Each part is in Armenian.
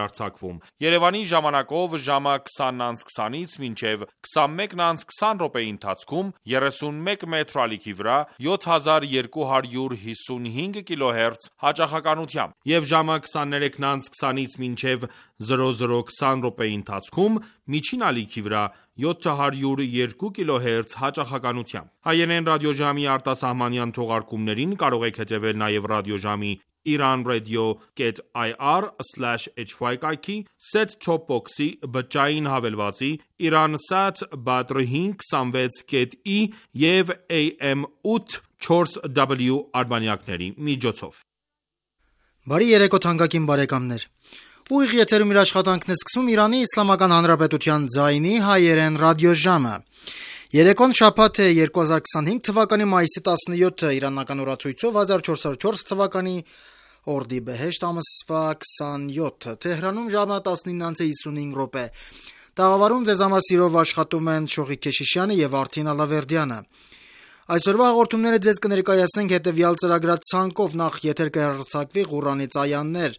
արձակվում։ Երևանի ժամանակով ժամը 20:20-ից մինչև 21:20 րոպեի ընթացքում 31 մետրո ալիքի վրա 7255 կիլոհերց հաճախականությամբ եւ ժամը 23:20-ից մինչև 00:20 րոպեի ընթացքում միջին ալիքի վրա 702 կիլոհերց հաճախականությամբ։ Հայերեն ռադիոժամի արտասահմանյան թողարկումներին կարող եք հետևել նաև ռադիոժամի iranradio.ir/hy կայքի, set-top box-ի, բջջային հավելվածի, Iransat Badr 526.E եւ AM 8 4W արբանյակների միջոցով։ Բարի երեկո թանկագին բարեկամներ։ Ուղիղ եթերում իր աշխատանքն է սկսում Իրանի Իսլամական Հանրապետության ձայնի հայերեն ռադիոժամը։ Երեկոն շաբաթ է 2025 թվականի մայիսի 17-ը իրանական օրացույցով 1404 թվականի օրդիբեհեշտ ամսվա 27-ը։ Թեհրանում ժամը 19:55 րոպե։ Տաղավարում ձեզ համար սիրով աշխատում են Շողիկ Քեշիշյանը եւ Արթին Ալավերդյանը։ Այսօրվա հաղորդումները ձեզ կներկայացնենք հետևյալ ծրագրացանկով. նախ եթեր կհեռարձակվի Ղուրանից այաներ,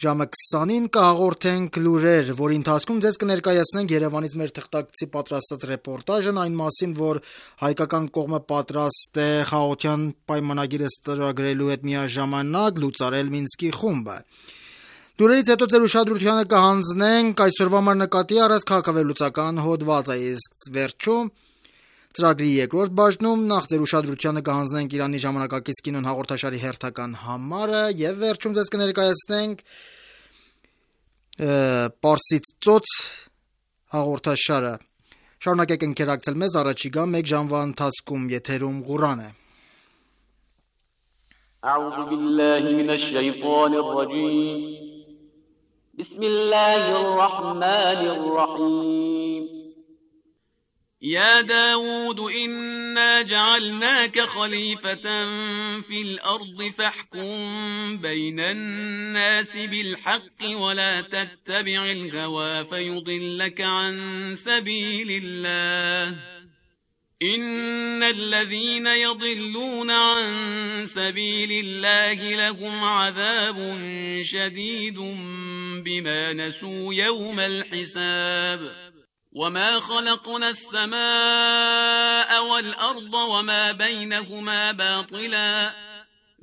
ժամը 20-ին կհաղորդենք լուրեր, որի ընթացքում ձեզ կներկայացնենք Երևանից մեր թղթակցի պատրաստած ռեպորտաժն այն մասին, որ հայկական կողմը պատրաստ է խաղաղության պայմանագիրը ստորագրելու հետ միաժամանակ լուծարել Մինսկի խումբը։ Լուրերից հետո ձեր ուշադրությանը կհանձնենք այսօրվա համար նկատի առած քաղաքավերլուծական հոդվածը, իսկ վերջում ծրագրի երկրորդ բաժնում նախ ձեր ուշադրությանը կհանձնենք Իրանի ժամանակակից կինոն հաղորդաշարի հերթական համարը եւ վերջում ձեզ կներկայացնենք Պարսից ծոց հաղորդաշարը։ Շարունակեք ընկերակցել մեզ առաջիկա 1 ժամվա ընթացքում եթերում Ղուրան է։ أعوذ بالله من الشيطان الرجيم بسم الله الرحمن الرحيم يا داود إنا جعلناك خليفة في الأرض فاحكم بين الناس بالحق ولا تتبع الهوى فيضلك عن سبيل الله إن الذين يضلون عن سبيل الله لهم عذاب شديد بما نسوا يوم الحساب وما خلقنا السماء والأرض وما بينهما باطلا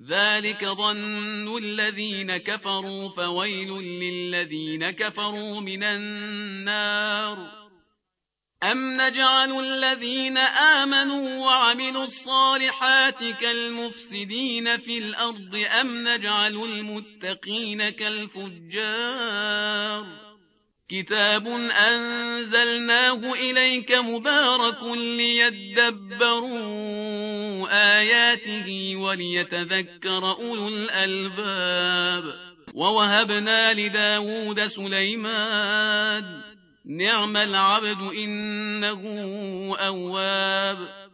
ذلك ظن الذين كفروا فويل للذين كفروا من النار أم نجعل الذين آمنوا وعملوا الصالحات كالمفسدين في الأرض أم نجعل المتقين كالفجار كتاب أنزلناه إليك مبارك ليدبروا آياته وليتذكر أولو الألباب ووهبنا لداود سليمان نعم العبد إنه أواب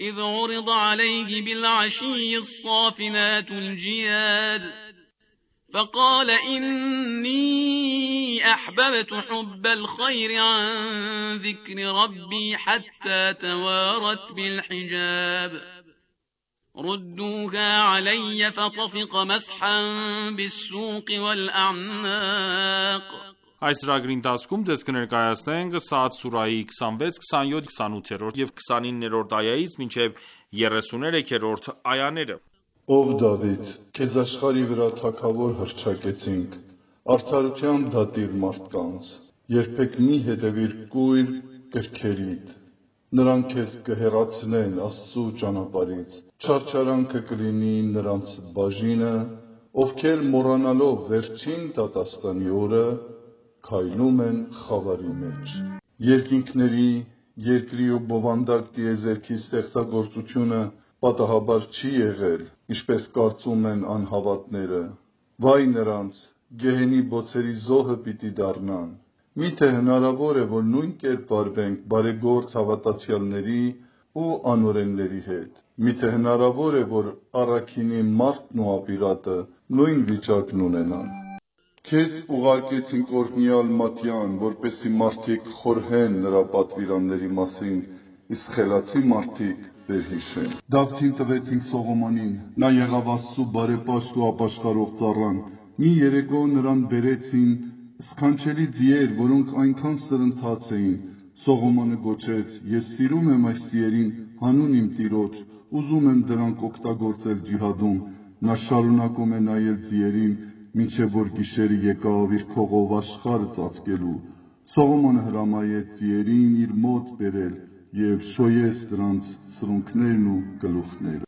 إذ عرض عليه بالعشي الصافنات الجياد فقال إني أحببت حب الخير عن ذكر ربي حتى توارت بالحجاب ردوها علي فطفق مسحا بالسوق والأعناق Այս ծրագրի ընթացքում ձեզ կներկայացնենք Սաադ սուրահի 26, 27, 28 եւ 29-րդ այայից մինչեւ 33-րդ այաները։ Ով Դավիթ, քեզ աշխարհի վրա թագավոր հռչակեցինք, արդարության դատիր մարդկանց, երբեք մի հետևիր կույր կրքերիդ, նրանք քեզ կհեռացնեն Աստծու ճանապարհից, չարչարանքը կլինի նրանց բաժինը, ովքեր մոռանալով վերջին դատաստանի օրը քայլում են խավարի մեջ։ Երկինքների, երկրի ու բովանդակ տիեզերքի ստեղծագործությունը պատահաբար չի եղել, ինչպես կարծում են անհավատները։ Վայ նրանց, գեհենի բոցերի զոհը պիտի դառնան։ Միթե հնարավոր է, որ նույն կերպ վարվենք բարեգործ հավատացյալների ու անօրենների հետ։ Միթե հնարավոր է, որ առաքինի մարդն ու ապիրատը նույն վիճակն ունենան։ Քեզ ուղարկեցինք օրհնյալ Մատյան, որպեսզի մարդիկ խորհեն նրա պատվիրանների մասին, իսկ խելացի մարդիկ վերհիշեն։ Դավթին տվեցինք Սողոմոնին, նա եղավ Աստծու բարեպաշտ ու ապաշխարող ծառան, Մի երեկո նրան բերեցին սքանչելի ձիեր, որոնք այնքան սրընթաց էին։ Սողոմոնը գոչեց. «Ես սիրում եմ այս ձիերին հանուն իմ տիրոջ, ուզում եմ դրանք օգտագործել ջիհադում»։ Նա շարունակում է նայել ձիերին, մինչև որ գիշերը եկավ իր փողով աշխարհը ծածկելու։ Սողոմոնը հրամայեց ձիերին իր մոտ բերել և շոյեց դրանց սրունքներն ու գլուխները։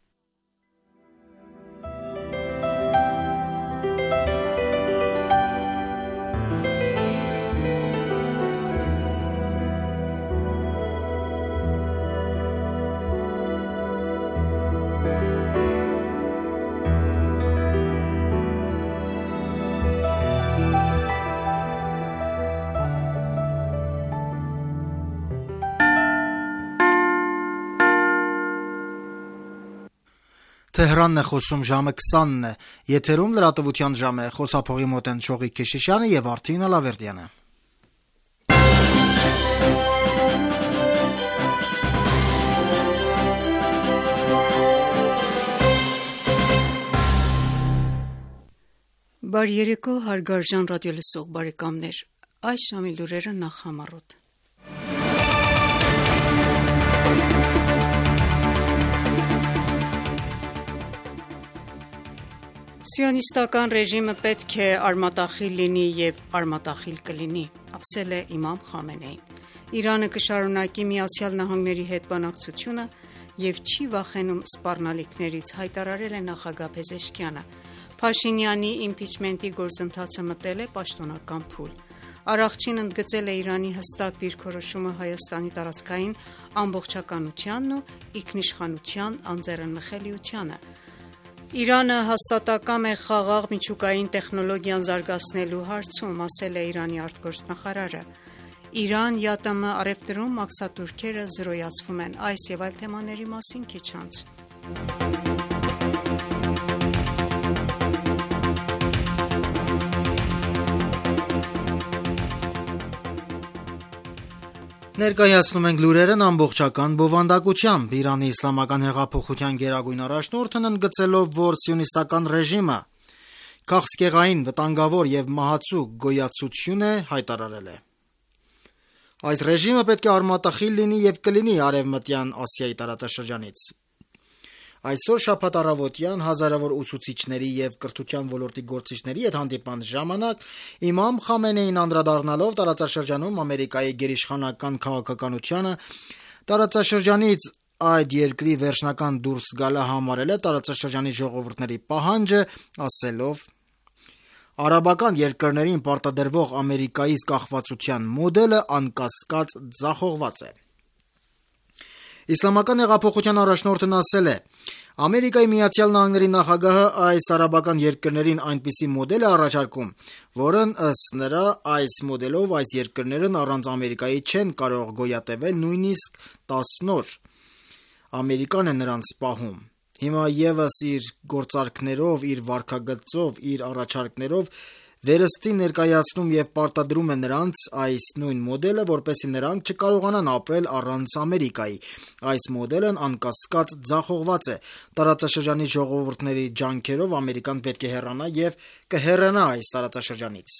Թեհրանն է խոսում, ժամը 20-ն է, եթերում լրատվության ժամ է, խոսափողի մոտ են Շողիկ Քեշիշյանը և Արթին Ալավերդյանը։ Բարի երեկո, հարգարժան ռադիոլսող բարեկամներ, այս ժամի լուրերը նախ համառոտ։ Սիոնիստական ռեժիմը պետք է արմատախիլ լինի և արմատախիլ կլինի, ասել է իմամ Խամենեին։ Իրանը կշարունակի ԱՄՆ-ի հետ բանակցությունը և չի վախենում սպառնալիքներից, հայտարարել է նախագահ Փեզեշքյանը։ Փաշինյանի իմպիչմենտի գործընթացը մտել է պաշտոնական փուլ։ Արաղչին ընդգծել է Իրանի հստակ դիրքորոշումը Հայաստանի տարածքային ամբողջականությանն ու ինքնիշխանության անձեռնմխելիությանը։ Իրանը հաստատակամ է խաղաղ միջուկային տեխնոլոգիան զարգացնելու հարցում, ասել է Իրանի արտգործնախարարը։ Իրան, ԵԱՏՄ առևտրում մաքսատուրքերը զրոյացվում են, այս և այլ թեմաների մասին քիչ անց։ Ներկայացնում ենք լուրերն ամբողջական բովանդակությամբ։ Իրանի իսլամական հեղափոխության գերագույն առաջնորդն ընդգծելով, որ սիոնիստական ռեժիմը քաղցկեղային, վտանգավոր և մահացու գոյացություն է, հայտարարել է. Այս ռեժիմը պետք է արմատախիլ լինի և կլինի Արևմտյան Ասիայի տարածաշրջանից։ Այսօր շաբաթ առավոտյան հազարավոր ուսուցիչների և կրթության ոլորտի գործիչների հետ հանդիպման ժամանակ իմամ Խամենեին անդրադառնալով տարածաշրջանում Ամերիկայի գերիշխանական քաղաքականությանը, տարածաշրջանից այդ երկրի վերջնական դուրս գալը համարել է տարածաշրջանի ժողովուրդների պահանջը, ասելով. «Արաբական երկրներին պարտադրվող Ամերիկայից կախվածության մոդելը անկասկած ձախողված է»։ Իսլամական հեղափոխության առաջնորդն ասել է. «Ամերիկայի Միացյալ Նահանգների նախագահը այս արաբական երկրներին այնպիսի մոդել է առաջարկում, որն ըստ նրա այս մոդելով այս երկրներն առանց Ամերիկայի չեն կարող գոյատևել նույնիսկ 10 օր։ Ամերիկան է նրանց պահում։ Հիմա ևս իր գործարքներով, իր վարքագծով, իր առաջարկներով վերստի ներկայացնում և պարտադրում է նրանց այս նույն մոդելը, որպեսզի նրանք չկարողանան ապրել առանց Ամերիկայի։ Այս մոդելն անկասկած ձախողված է։ Տարածաշրջանի ժողովուրդների ջանքերով Ամերիկան պետք է հեռանա և կհեռանա այս տարածաշրջանից»։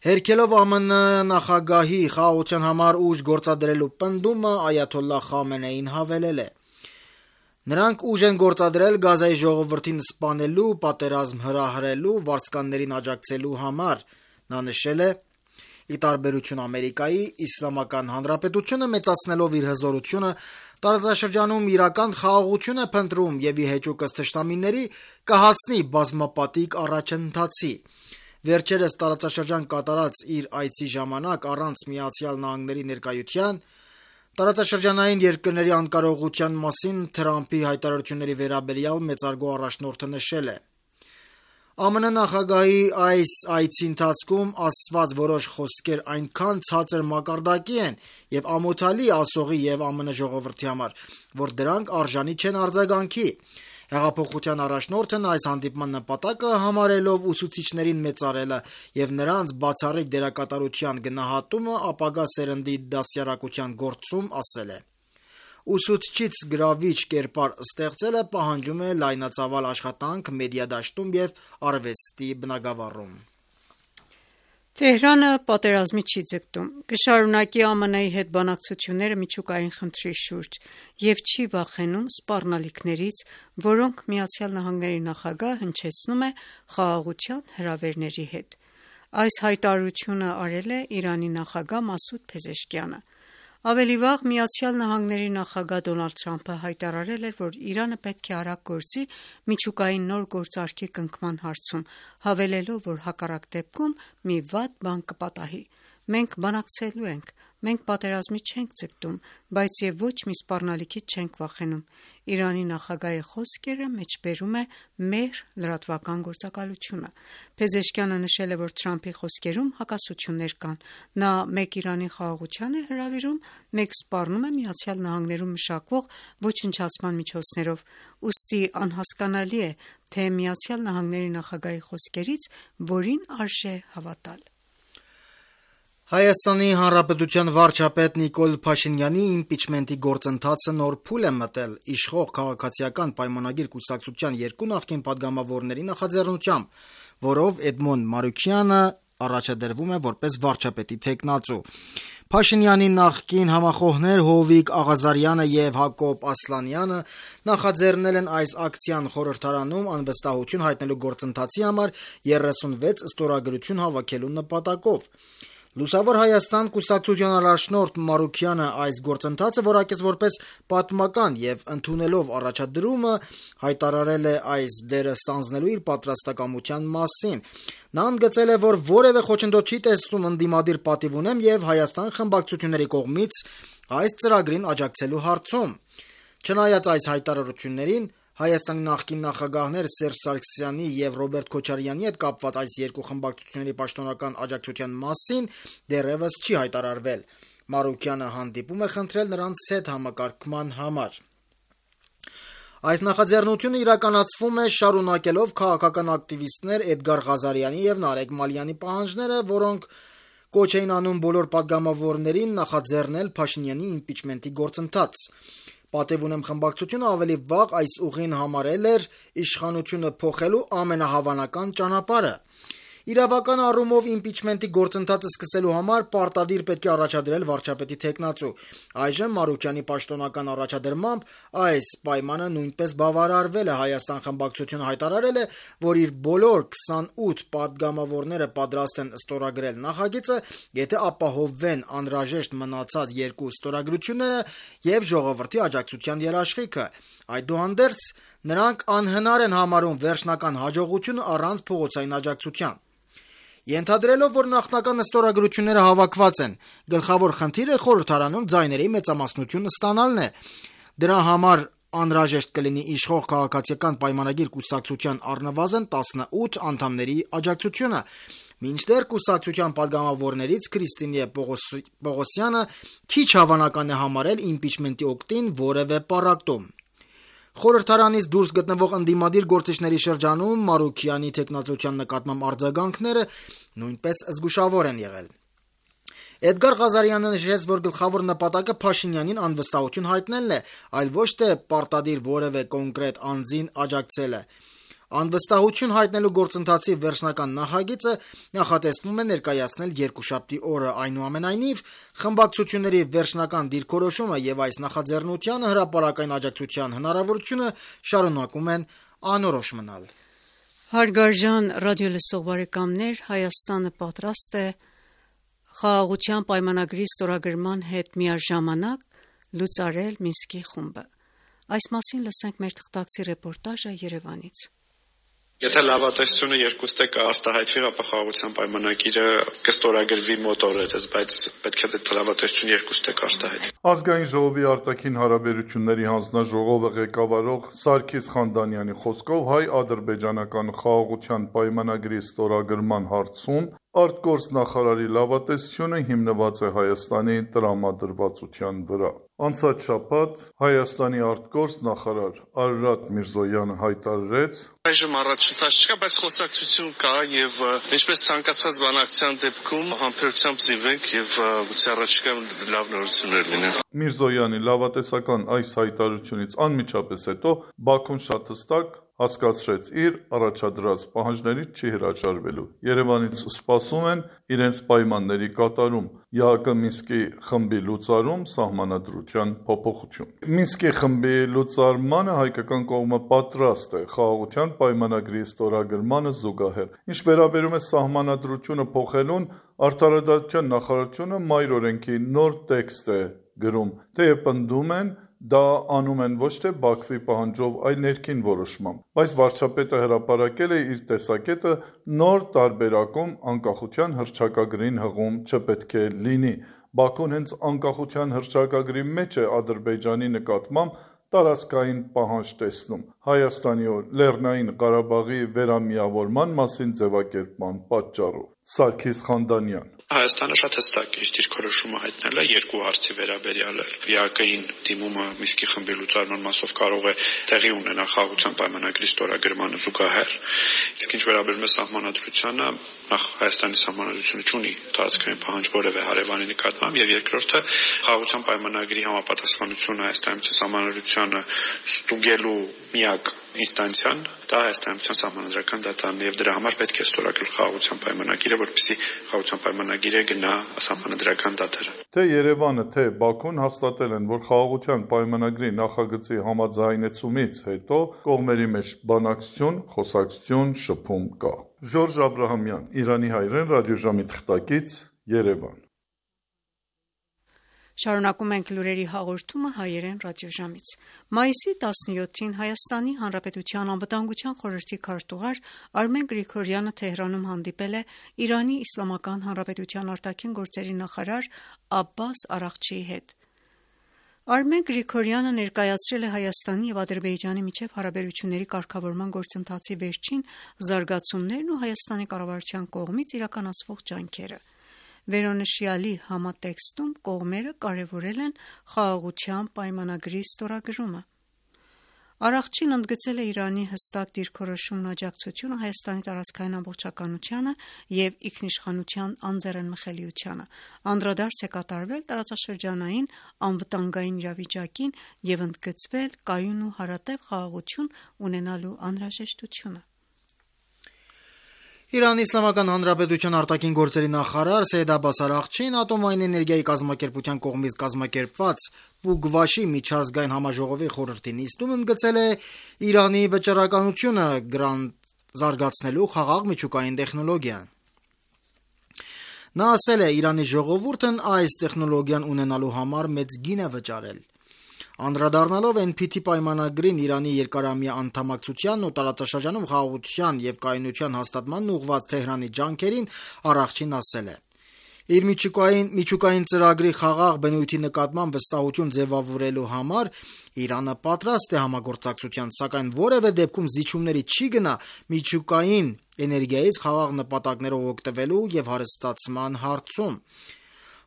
Հերքելով ԱՄՆ նախագահի խաղաղության համար ուժ գործադրելու պնդումը, այաթոլլահ Խամենեին հավելել է. «Նրանք ուժ են գործադրել Գազայի ժողովրդին սպանելու, պատերազմ հրահրելու, վարձկաններին աջակցելու համար»։ Նա նշել է. «Ի տարբերություն Ամերիկայի, Իսլամական Հանրապետությունը մեծացնելով իր հզորությունը տարածաշրջանում իրական խաղաղություն է փնտրում և ի հեճուկս թշնամիների կհասնի բազմապատիկ առաջընթացի»։ Վերջերս տարածաշրջան կատարած իր այցի ժամանակ առանց ԱՄՆ ներկայության տարածաշրջանային երկրների անկարողության մասին Թրամփի հայտարարությունների վերաբերյալ մեծարգո առաջնորդը նշել է. «ԱՄՆ նախագահի այս այցի ընթացքում ասված որոշ խոսքեր այնքան ցածր մակարդակի են և ամոթալի ասողի և ԱՄՆ ժողովրդի համար, որ դրանք արժանի չեն արձագանքի»։ Հեղափոխության առաջնորդն այս հանդիպման նպատակը համարելով ուսուցիչներին մեծարելը և նրանց բացառիկ դերակատարության գնահատումը ապագա սերնդի դաստիարակության գործում, ասել է. ուսուցչից գրավիչ կերպար ստեղծելը պահանջում է լայնածավալ աշխատանք մեդիադաշտում եւ արվեստի բնագավառում։ Թեհրանը պատերազմի չի ձգտում, կշարունակի ԱՄՆ-ի հետ բանակցությունները միջուկային խնդրի շուրջ եւ չի վախենում սպառնալիքներից, որոնք ԱՄՆ նախագահը հնչեցնում է խաղաղության հրավերների հետ։ Այս հայտարարությունը արել է Իրանի նախագահ Մասուդ Փեզեշքյանը։ Ավելի վաղ ԱՄՆ նախագահ Դոնալդ Թրամփը հայտարարել էր, որ Իրանը պետք է արագ գործի միջուկային նոր գործարքի կնքման հարցում, հավելելով, որ հակառակ դեպքում մի վատ բան կպատահի։ Մենք բանակցելու ենք, մենք պատերազմի չենք ձգտում, բայց եւ ոչ մի սպառնալիքից չենք վախենում։ Իրանի նախագահի խոսքերը մեջբերում է մեր լրատվական գործակալությունը։ Փեզեշքյանը նշել է, որ Թրամփի խոսքերում հակասություններ կան։ Նա մեկ Իրանի խաղաղության է հրավիրում, մեկ սպառնում է ԱՄՆ-ում մշակվող ոչնչացման միջոցներով։ Ուստի անհասկանալի է, թե ԱՄՆ նախագահի խոսքերից որին արժե հավատալ։ Հայաստանի Հանրապետության վարչապետ Նիկոլ Փաշինյանի իմպիչմենտի գործընթացը նոր փուլ է մտել իշխող քաղաքացիական պայմանագիր կուսակցության երկու նախկին падգամավորների նախաձեռնությամբ, որով Էդմոն Մարուքյանը առաջադրվում է որպես վարչապետի թեկնածու։ Փաշինյանի նախկին համախոհներ Հովիկ Աղազարյանը եւ Հակոբ Ասլանյանը նախաձեռնել են այս ակցիան խորհրդարանում անվստահություն հայտնելու գործընթացի համար 36 ստորագրություն հավաքելու նպատակով։ Լուսավոր Հայաստան կուսակցության առաջնորդ Մարուքյանը այս գործընթացը որակեց որպես պատմական եւ ընդունելով առաջադրումը հայտարարել է այս դերը ստանձնելու իր պատրաստակամության մասին։ Նա ընդգծել է, որ որևէ խոչընդոտ չի տեսնում ընդդիմադիր պատիվ ունեմ եւ Հայաստան խմբակցությունների կողմից այս ծրագրին աջակցելու հարցում։ Չնայած այս հայտարարություններին, Հայաստանի նախկին նախագահներ Սերժ Սարգսյանի եւ Ռոբերտ Քոչարյանի հետ կապված այս երկու խմբակցությունների պաշտոնական աջակցության մասին դեռևս չի հայտարարվել։ Մարուքյանը հանդիպում է խնդրել նրանց հետ համակարգման համար։ Այս նախաձեռնությունը իրականացվում է շարունակելով քաղաքական ակտիվիստներ Էդգար Ղազարյանի եւ Նարեկ Մալյանի պահանջները, որոնք կոչ էին անում բոլոր падգամավորներին նախաձեռնել Փաշինյանի իմպիչմենտի գործընթաց։ Պատեվ ունեմ խմբակցությունը ավելի վաղ այս ուղին համարել էր իշխանությունը փոխելու ամենահավանական ճանապարհը։ Իրավական առումով իմպիչմենտի գործընթացը սկսելու համար պարտադիր պետք է առաջադրել վարչապետի թեկնածու։ Այժմ Մարուքյանի պաշտոնական առաջադրմամբ այս պայմանը նույնպես բավարարվել է։ Հայաստան խմբակցությունը հայտարարել է, որ իր բոլոր 28 падգամավորները պատրաստ են ստորագրել նախագիծը, եթե ապահովվեն անհրաժեշտ մնացած երկու ստորագրությունները եւ ժողովրդի աջակցության երաշխիքը։ Այդուհանդերձ նրանք անհնար են համարում վերջնական հաջողությունը առանց փողոցային աջակցության։ Ենթադրելով, որ նախնական ստորագրությունները հավաքված են, գլխավոր խնդիրը խորհրդարանում ձայների մեծամասնություն ստանալն է։ Դրա համար անհրաժեշտ կլինի իշխող քաղաքացիական պայմանագիր կուսակցության առնվազն 18 անդամների աջակցությունը։ Մինչդեռ կուսակցության падգամավորներից Քրիստինե Պողոսյանը քիչ հավանական է համարել իմպիչմենտի օգտին որևէ պառակտում։ Խորհրդարանից դուրս գտնվող ընդդիմադիր գործիչների շրջանում Մարուքյանի թեկնածության նկատմամբ արձագանքները նույնպես զգուշավոր են եղել։ Էդգար Ղազարյանը նշեց, որ գլխավոր նպատակը Փաշինյանին անվստահություն հայտնելն է, այլ ոչ թե պարտադիր որևէ կոնկրետ անձին աջակցելը։ Անվստահություն հայտնելու գործընթացի վերջնական նախագիծը նախատեսվում է ներկայացնել երկուշաբթի օրը։ Այնուամենայնիվ, խմբակցությունների վերջնական դիրքորոշումը եւ այս նախաձեռնությանը հրապարակային աջակցության հնարավորությունը շարունակում են անորոշ մնալ։ Հարգարժան ռադիոլսող բարեկամներ, Հայաստանը պատրաստ է խաղաղության պայմանագրի ստորագրման հետ միաժամանակ լուծարել Մինսկի խումբը։ Այս մասին լսենք մեր թղթակցի ռեպորտաժը Երևանից։ Եթե լավատեսությունը երկուստե կարտահայտվի, ապա խաղաղության պայմանագիրը կստորագրվի մոտ օրերս, բայց պետք է լավատեսությունը երկուստե կարտահայտվի։ Ազգային ժողովի արտաքին հարաբերությունների հանձնաժողովը ղեկավարող Սարգիս Խանդանյանի խոսքով հայ-ադրբեջանական խաղաղության պայմանագրի ստորագրման հարցում արտգործնախարարի լավատեսությունը հիմնված է Հայաստանի տրամադրվածության վրա։ Անցած շաբաթ Հայաստանի արտգործ նախարար Արարատ Միրզոյանը հայտարարեց. Այժմ առաջընթաց չկա, բայց խոսակցություն կա եւ ինչպես ցանկացած բանակցության դեպքում համբերությամբ զինվենք եւ գուցե առաջիկայում լավ նորություններ լինեն։ Միրզոյանի լավատեսական այս հայտարարությունից անմիջապես հետո Բաքուն շատ հստակ հասկացրեց իր առաջադրած պահանջներից չի հրաժարվելու։ Երևանից սպասում են իրենց պայմանների կատարում, ԵԱՀԿ Մինսկի խմբի լուծարում, սահմանադրության փոփոխություն։ Մինսկի խմբի լուծարմանը հայկական կողմը պատրաստ է խաղաղության պայմանագրի ստորագրմանը զուգահեռ։ Ինչ վերաբերում է սահմանադրությունը փոխելուն, Արդարադատության նախարարությունը մայր օրենքի նոր տեքստ է գրում, թեև պնդում են դա անում են ոչ թե Բաքվի պահանջով, այլ ներքին որոշմամբ, բայց վարչապետը հրապարակել է իր տեսակետը նոր տարբերակում անկախության հռչակագրին հղում չպետք է լինի։ Բաքուն հենց անկախության հռչակագրի մեջ է Ադրբեջանի նկատմամբ տարածքային պահանջ տեսնում Հայաստանի ու Լեռնային Ղարաբաղի վերամիավորման մասին ձևակերպման պատճառով։ Սարգիս Խանդանյան Հայաստանը շատ հստակ իր դիրքորոշումը հայտնել է երկու հարցի վերաբերյալ ԵԱՀԿ-ին դիմումը Մինսկի խմբի լուծարման մասով կարող է տեղի ունենալ խաղաղության պայմանագրի ստորագրմանը զուգահեռ, իսկ ինչ վերաբերում է սահմանադրությանը, նախ Հայաստանի սահմանադրությունը չունի տարածքային պահանջ որևէ հարևանի նկատմամբ, եւ երկրորդը խաղաղության պայմանագրի համապատասխանությունը Հայաստանի սահմանադրությանը ստուգելու միակ ինստանցիան դա Հայաստանի սահմանադրական դատարանն է եւ դրա համար պետք է ստորագրել խաղաղության պայմանագիրը, որպեսզի խաղաղության պայմանագիրը գնա սահմանադրական դատարան։ Թե Երևանը, թե Բաքուն հաստատել են, որ խաղաղության պայմանագրի նախագծի համաձայնեցումից հետո կողմերի մեջ բանակցություն, խոսակցություն, շփում կա։ Ժորժ Աբրահամյան, Իրանի հայրեն ռադիոժամի թղթակից, Երևան։ Շարունակում ենք լուրերի հաղորդումը հայերեն ռադիոժամից։ Մայիսի 17-ին Հայաստանի Հանրապետության անվտանգության խորհրդի քարտուղար Արմեն Գրիգորյանը Թեհրանում հանդիպել է Իրանի Իսլամական Հանրապետության արտաքին գործերի նախարար Աբբաս Արաղչիի հետ։ Արմեն Գրիգորյանը ներկայացրել է Հայաստանի և Ադրբեջանի միջև հարաբերությունների կարգավորման գործընթացի վերջին զարգացումներն ու Հայաստանի կառավարության կողմից իրականացվող ջանքերը։ Վերոնշյալի համատեքստում կողմերը կարևորել են խաղաղության պայմանագրի ստորագրումը։ Արաղչին ընդգծել է Իրանի հստակ դիրքորոշումն ու աջակցությունը Հայաստանի տարածքային ամբողջականությանը և ինքնիշխանության անձեռնմխելիությանը, անդրադարձ է կատարվել տարածաշրջանային անվտանգային իրավիճակին և ընդգծվել կայուն ու հարատև խաղաղություն ունենալու անհրաժեշտությունը։ Իրանի Իսլամական Հանրապետության արտաքին գործերի նախարար Սեյեդ Աբբաս Արաղչին ատոմային էներգիայի կազմակերպության կողմից կազմակերպված Պուգվաշի միջազգային համաժողովի խորհրդի նիստում ընդգծել է Իրանի վճռականությունը զարգացնելու խաղաղ միջուկային տեխնոլոգիան։ Նա ասել է. Իրանի ժողովուրդն այս տեխնոլոգիան ունենալու համար մեծ գին է վճարել։ Անդրադառնալով NPT պայմանագրին Իրանի երկարամյա անդամակցությանն ու տարածաշրջանում խաղաղության և կայունության հաստատմանն ուղղված Թեհրանի ջանքերին Արաղչին ասել է. Իր միջուկային ծրագրի խաղաղ բնույթի նկատմամբ վստահություն ձևավորելու համար Իրանը պատրաստ է համագործակցության, սակայն որևէ դեպքում զիջումների չի գնա միջուկային էներգիայից խաղաղ նպատակներով օգտվելու և հարստացման հարցում։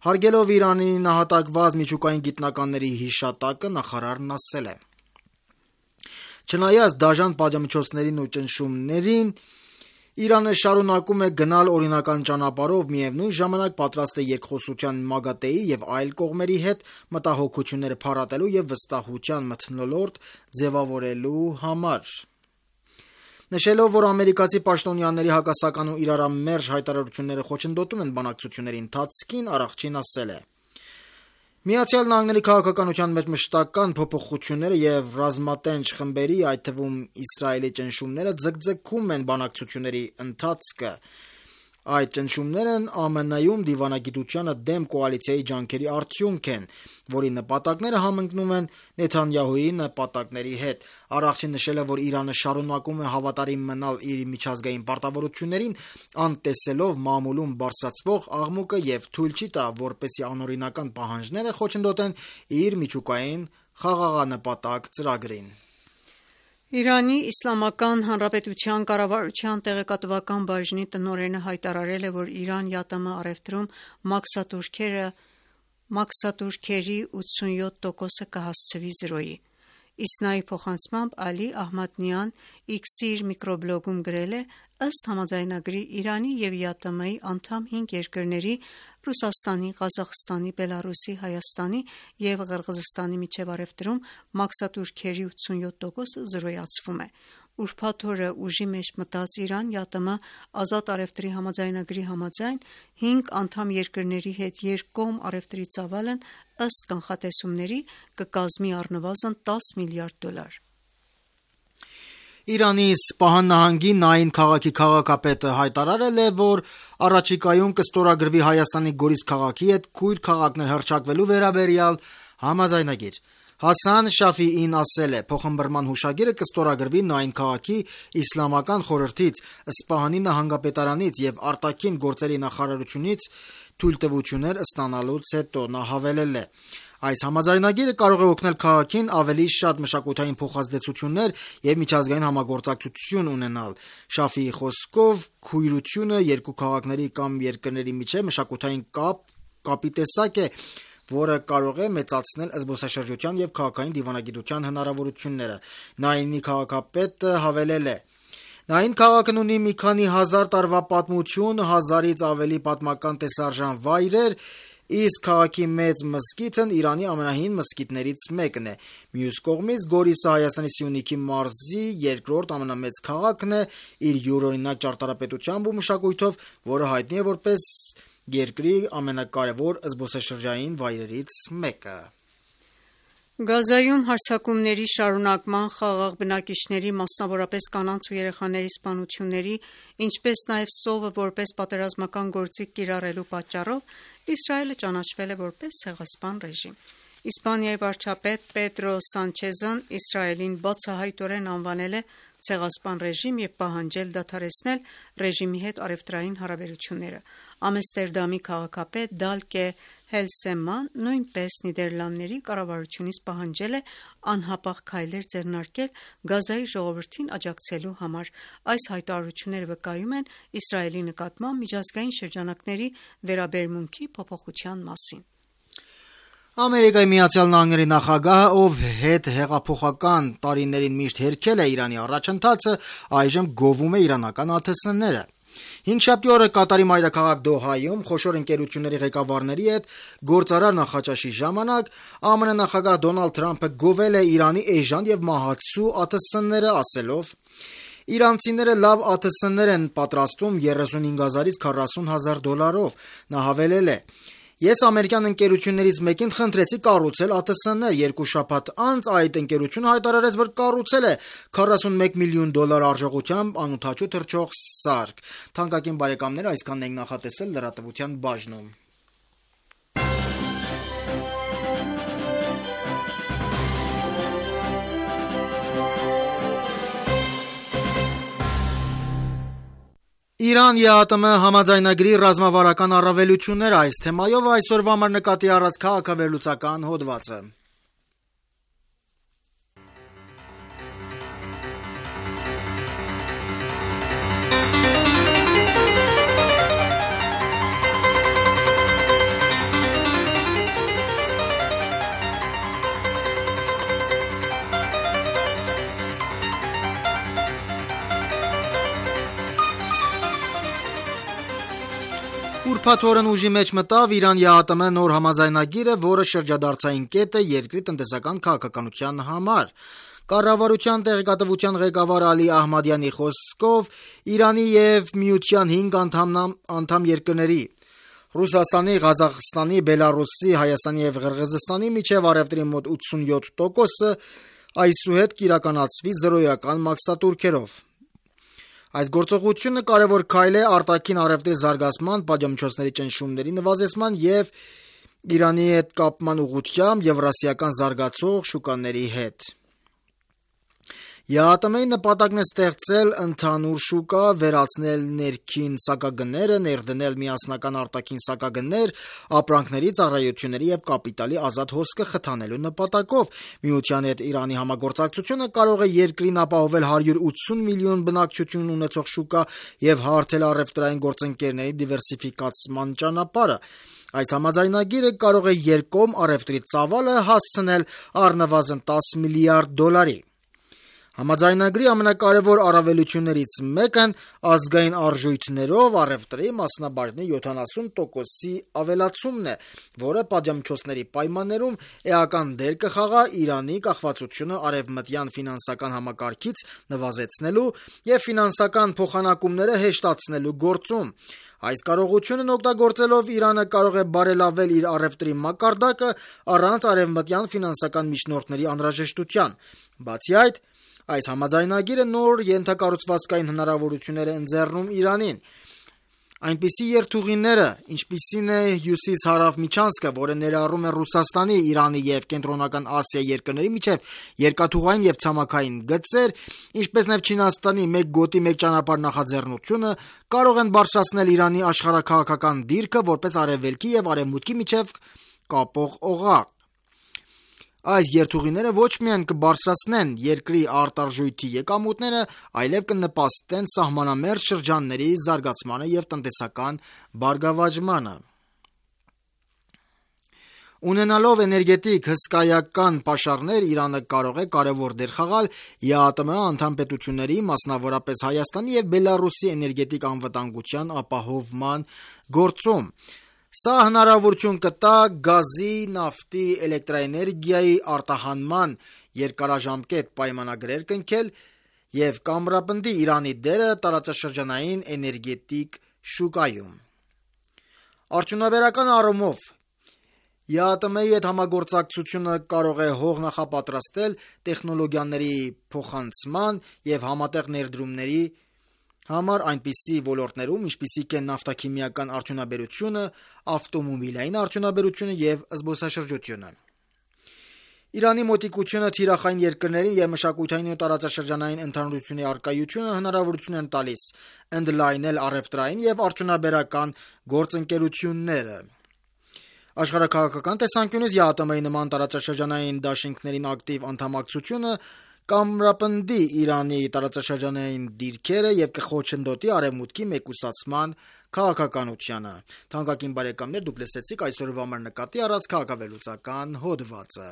Հարգելով Իրանի նահատակված միջուկային գիտնականների հիշատակը, նախարարն ասել է. Չնայած դաժան պատժամիջոցներին ու ճնշումներին, Իրանը շարունակում է գնալ օրինական ճանապարհով, միևնույն ժամանակ պատրաստ է երկխոսության ՄԱԳԱՏԵ-ի և այլ կողմերի հետ մտահոգությունները փարատելու և վստահության մթնոլորտ ձևավորելու համար։ Նշելով, որ ամերիկացի պաշտոնյաների հակասական ու իրարամերժ հայտարարությունները խոչընդոտում են բանակցությունների ընթացքին, Արաղչին ասել է. Միացյալ Նահանգների քաղաքականության մեջ մշտական փոփոխությունները և ռազմատենչ խմբերի, այդ թվում Իսրայելի ճնշումները ձգձգում են բանակցությունների ընթացքը։ Այդ ճնշումներն ԱՄՆ-ում դիվանագիտությանը դեմ կոալիցիայի ջանքերի արդյունք են, որի նպատակները համընկնում են Նեթանյահուի նպատակների հետ։ Արաղչին նշել է, որ Իրանը շարունակում է հավատարիմ մնալ իր միջազգային պարտավորություններին, անտեսելով մամուլում բարձրացվող աղմուկը և թույլ չի տա, որպեսզի անօրինական պահանջները խոչընդոտեն իր միջուկային խաղաղանպատակ ծրագրին։ Իրանի Իսլամական Հանրապետության կառավարության տեղեկատվական բաժնի տնօրենը հայտարարել է, որ Իրան ԵԱՏՄ առևտրում մաքսատուրքերը մաքսատուրքերի 87%-ը կհասցվի 0-ի։ Իսնայի փոխանցմամբ Ալի Ահմադնյան X-ի իր միկրոբլոգում գրել է. ըստ համաձայնագրի Իրանի և ԵԱՏՄ-ի անդամ 5 երկրների Ռուսաստանի, Ղազախստանի, Բելարուսի, Հայաստանի և Ղրղզստանի միջև առևտրում մաքսատուրքերի 87%-ը զրոյացվում է։ Ուրբաթ օրը ուժի մեջ մտած Իրան-ԵԱՏՄ ազատ առևտրի համաձայնագրի համաձայն 5 անդամ երկրների հետ երկկողմ առևտրի ծավալն ըստ կանխատեսումների կկազմի առնվազն $10 միլիարդ։ Իրանի Սպահան նահանգի Նային քաղաքի քաղաքապետը հայտարարել է, որ առաջիկայում կստորագրվի Հայաստանի Գորիս քաղաքի հետ քույր քաղաքներ հռչակվելու վերաբերյալ համաձայնագիր։ Հասան Շաֆիին ասել է. փոխըմբռնման հուշագիրը կստորագրվի Նային քաղաքի իսլամական խորհրդից, Սպահանի նահանգապետարանից և արտաքին գործերի նախարարությունից թույլտվություններ ստանալուց հետո։ Նա հավելել է. այս համաձայնագիրը կարող է օգնել քաղաքին ավելի շատ մշակութային փոխազդեցություններ և միջազգային համագործակցություն ունենալ։ Շաֆիի խոսքով քույրությունը երկու քաղաքների կամ երկրների միջև մշակութային կապի տեսակ է, որը կարող է մեծացնել զբոսաշրջության և քաղաքային դիվանագիտության հնարավորությունները։ Նայինի քաղաքապետը հավելել է. Նային քաղաքն ունի մի քանի հազար տարվա պատմություն, 1000-ից ավելի պատմական տեսարժան վայրեր, իսկ քաղաքի մեծ մզկիթն Իրանի ամենահին մզկիթներից մեկն է։ Մյուս կողմից Գորիսը Հայաստանի Սյունիքի մարզի երկրորդ ամենամեծ քաղաքն է իր յուրօրինակ ճարտարապետությամբ ու մշակույթով, որը հայտնի է որպես երկրի ամենակարևոր զբոսաշրջային վայրերից մեկը։ Գազայում հարձակումների շարունակման, խաղաղ բնակիչների, մասնավորապես կանանց ու երեխաների սպանությունների, ինչպես նաև սովը որպես պատերազմական գործիք կիրառելու պատճառով Իսրայելը ճանաչվել է որպես ցեղասպան ռեժիմ։ Իսպանիայի վարչապետ Պեդրո Սանչեզն Իսրայելին բացահայտորեն անվանել է ցեղասպան ռեժիմ և պահանջել դադարեցնել ռեժիմի հետ առևտրային հարաբերությունները։ Ամստերդամի քաղաքապետ Դալկե Հելսեման նույնպես Նիդերլանդների կառավարությունից պահանջել է անհապաղ քայլեր ձեռնարկել Գազայի ժողովրդին աջակցելու համար։ Այս հայտարարությունները վկայում են Իսրայելի նկատմամբ միջազգային շրջանակների վերաբերմունքի փոփոխության մասին։ Ամերիկայի Միացյալ Նահանգների նախագահը, ով հետհեղափոխական տարիներին միշտ հերքել է Իրանի առաջընթացը, այժմ գովում է իրանական ԱԹՍ-ները։ Հինգշաբթի օրը Կատարի մայրաքաղաք Դոհայում խոշոր ընկերությունների ղեկավարների հետ գործարար նախաճաշի ժամանակ ԱՄՆ նախագահ Դոնալդ Թրամփը գովել է Իրանի էժան և մահացու ԱԹՍ-ները, ասելով. Իրանցիները լավ ԱԹՍ-ներ են պատրաստում $35,000-ից $40,000։ Նա հավելել է. Ես ամերիկյան ընկերություններից մեկին խնդրեցի կառուցել ԱԹՍ-ներ։ 2 շաբաթ անց այդ ընկերությունը հայտարարեց, որ կառուցել է $41 միլիոն արժողությամբ անօդաչու թռչող սարք։ Թանկագին բարեկամներ, այսքանն ենք նախատեսել լրատվության բաժնում։ Իրան-ԵԱՏՄ համաձայնագրի ռազմավարական առավելությունները, այս թեմայով այսօրվա համար նկատի առած քաղաքավերլուծական հոդվածը։ Ուրբաթ օրն ուժի մեջ մտավ Իրան-ԵԱՏՄ նոր համաձայնագիրը, որը շրջադարձային կետ է երկրի տնտեսական քաղաքականության համար։ Կառավարության տեղեկատվության ղեկավար Ալի Ահմադյանի խոսքով Իրանի և Միության 5 անդամ երկրների Ռուսաստանի, Ղազախստանի, Բելարուսի, Հայաստանի և Ղրղզստանի միջև առևտրի մոտ 87%-ը այսուհետ կիրականացվի զրոյական մաքսատուրքերով։ Այս գործողությունը կարևոր քայլ է արտաքին առևտրի զարգացման, պատժամիջոցների ճնշումների նվազեցման և Իրանի հետ կապման ուղղությամբ եվրասիական զարգացող շուկաների հետ։ ԵԱՏՄ-ի նպատակն է ստեղծել ընդհանուր շուկա, վերացնել ներքին սակագները, ներդնել միասնական արտաքին սակագներ, ապրանքների, ծառայությունների և կապիտալի ազատ հոսքը խթանելու նպատակով։ Միության հետ Իրանի համագործակցությունը կարող է երկրին ապահովել 180 միլիոն բնակչություն ունեցող շուկա և հարթել առևտրային գործընկերների դիվերսիֆիկացման ճանապարհը։ Այս համաձայնագիրը կարող է երկկողմ առևտրի ծավալը հասցնել առնվազն $10 միլիարդ։ Համաձայնագրի ամենակարևոր առավելություններից մեկն ազգային արժույթներով առևտրի մասնաբաժնի 70%-ի ավելացումն է, որը պատժամիջոցների պայմաններում էական դեր կխաղա Իրանի կախվածությունը արևմտյան ֆինանսական համակարգից նվազեցնելու և ֆինանսական փոխանակումները հեշտացնելու գործում։ Այս կարողությունն օգտագործելով Իրանը կարող է բարելավել իր առևտրի մակարդակը առանց արևմտյան ֆինանսական միջնորդների անհրաժեշտության։ Բացի այդ, այս համաձայնագիրը նոր ենթակառուցվածքային հնարավորություններ է ընձեռում Իրանին։ Այնպիսի երթուղիները, ինչպիսին է հյուսիս-հարավ միջանցքը, որը ներառում է Ռուսաստանի, Իրանի և Կենտրոնական Ասիայի երկրների միջև երկաթուղային և ցամաքային գծեր, ինչպես նաև Չինաստանի «մեկ գոտի, մեկ ճանապարհ» նախաձեռնությունը, կարող են բարձրացնել Իրանի աշխարհաքաղաքական դիրքը որպես արևելքի և արևմուտքի միջև կապող օղակ։ Այս երթուղիները ոչ միայն կբարձրացնեն երկրի արտարժույթի եկամուտները, այլև կնպաստեն սահմանամերձ շրջանների զարգացմանը և տնտեսական բարգավաճմանը։ Ունենալով էներգետիկ հսկայական պաշարներ, Իրանը կարող է կարևոր դեր խաղալ ԵԱՏՄ անդամ պետությունների, մասնավորապես Հայաստանի և Բելառուսի էներգետիկ անվտանգության ապահովման գործում։ Սա հնարավորություն կտա գազի, նավթի, էլեկտրաէներգիայի արտահանման երկարաժամկետ պայմանագրեր կնքել և կամրապնդի Իրանի դերը տարածաշրջանային էներգետիկ շուկայում։ Արդյունաբերական առումով ԵԱՏՄ-ի հետ համագործակցությունը կարող է հող նախապատրաստել տեխնոլոգիաների փոխանցման և համատեղ ներդրումների համար այնպիսի ոլորտներում, ինչպիսիք են նավթաքիմիական արդյունաբերությունը, ավտոմոբիլային արդյունաբերությունը և զբոսաշրջությունը։ Իրանի մոտիկությունը թիրախային երկրներին և մշակութային ու տարածաշրջանային ընդհանրությունների առկայությունը հնարավորություն են տալիս ընդլայնել առևտրային և արդյունաբերական գործընկերությունները։ Աշխարհաքաղաքական տեսանկյունից ԵԱՏՄ-ի նման տարածաշրջանային դաշինքներին ակտիվ անդամակցությունը կամրապնդի Իրանի տարածաշրջանային դիրքերը և կխոչընդոտի արևմուտքի մեկուսացման քաղաքականությանը։ Թանկագին բարեկամներ, դուք լսեցիք այսօրվա մեր նկատի առած քաղաքավելուծական հոդվածը։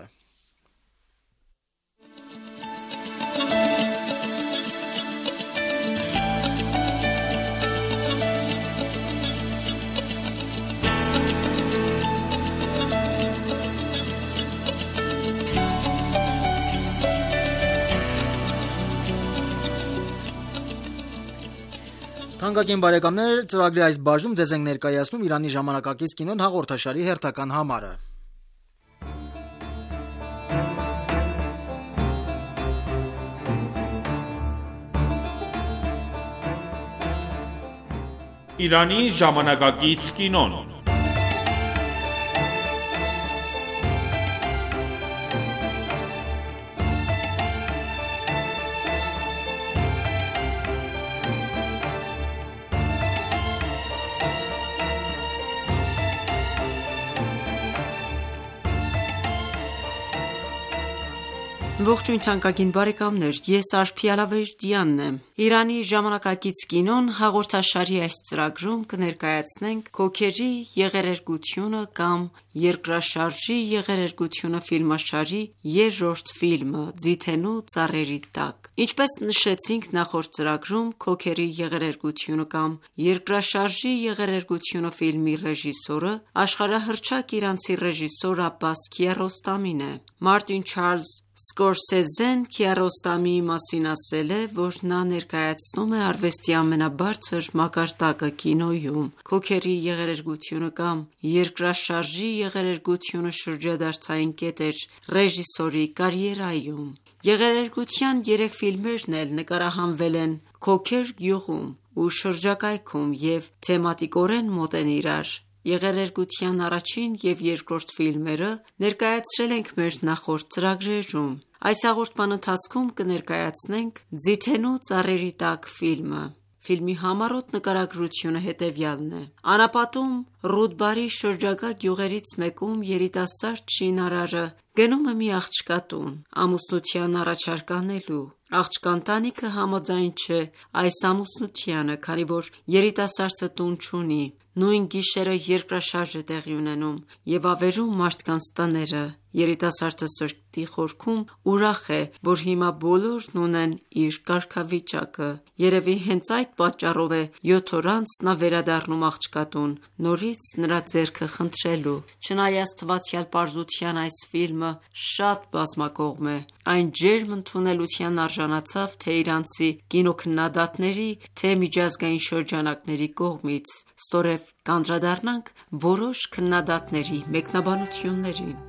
Թանկագին բարեկամներ, ծրագրի այս բաժնում ձեզ ենք ներկայացնում Իրանի ժամանակակից կինոն հաղորդաշարի հերթական համարը։ Իրանի ժամանակակից կինոն։ Ողջույն թանկագին բարեկամներ, ես Արփի Ալավերդյանն եմ։ Իրանի ժամանակակից կինոն հաղորդաշարի այս ծրագրում կներկայացնենք «Քոքերի եղերերգությունը» կամ «Երկրաշարժի եղերերգությունը» ֆիլմաշարի երրորդ ֆիլմը՝ «Ձիթենու ծառերի տակ»։ Ինչպես նշեցինք նախորդ ծրագրում, «Քոքերի եղերերգությունը» կամ «Երկրաշարժի եղերերգությունը» ֆիլմի ռեժիսորը աշխարհահռչակ իրանցի ռեժիսոր Աբբաս Քիարոստամին է։ Մարտին Չարլզ Սկորսեզեն Քիարոստամիի մասին ասել է, որ նա ներկայացնում է արվեստի ամենաբարձր մակարդակը կինոյում։ «Քոքերի եղերերգությունը» կամ «Երկրաշարժի եղերերգությունը» շրջադարձային կետ էր ռեժիսորի կարիերայում։ Եղերերգության 3 ֆիլմերն էլ նկարահանվել են Քոքեր գյուղում ու շրջակայքում և թեմատիկորեն մոտ են իրար։ Եղերերգության առաջին և երկրորդ ֆիլմերը ներկայացրել ենք մեր նախորդ ծրագրերում։ Այս հաղորդման ընթացքում կներկայացնենք «Ձիթենու ծառերի տակ» ֆիլմը։ Ֆիլմի համառոտ նկարագրությունը հետևյալն է. Անապատում Ռուդբարի շրջակա գյուղերից մեկում երիտասարդ շինարարը գնում է մի աղջկա տուն ամուսնության առաջարկ անելու։ Աղջկա ընտանիքը համաձայն չէ այս ամուսնությանը, քանի որ երիտասարդը տուն չունի։ Նույն գիշերը երկրաշարժ է տեղի ունենում և ավերում մարդկանց տները։ Երիտասարդը սրտի խորքում ուրախ է, որ հիմա բոլորն ունեն իր կարգավիճակը։ Երևի հենց այդ պատճառով է 7 օր անց նա վերադառնում աղջկա տուն՝ նորից նրա ձեռքը խնդրելու։ Չնայած թվացյալ պարզության, այս ֆիլմը շատ բազմակողմ է։ Այն ջերմ ընդունելության արժանացավ թե իրանցի կինոքննադատների, թե միջազգային շրջանակների կողմից։ Ստորև կանդրադառնանք որոշ քննադատների մեկնաբանություններին։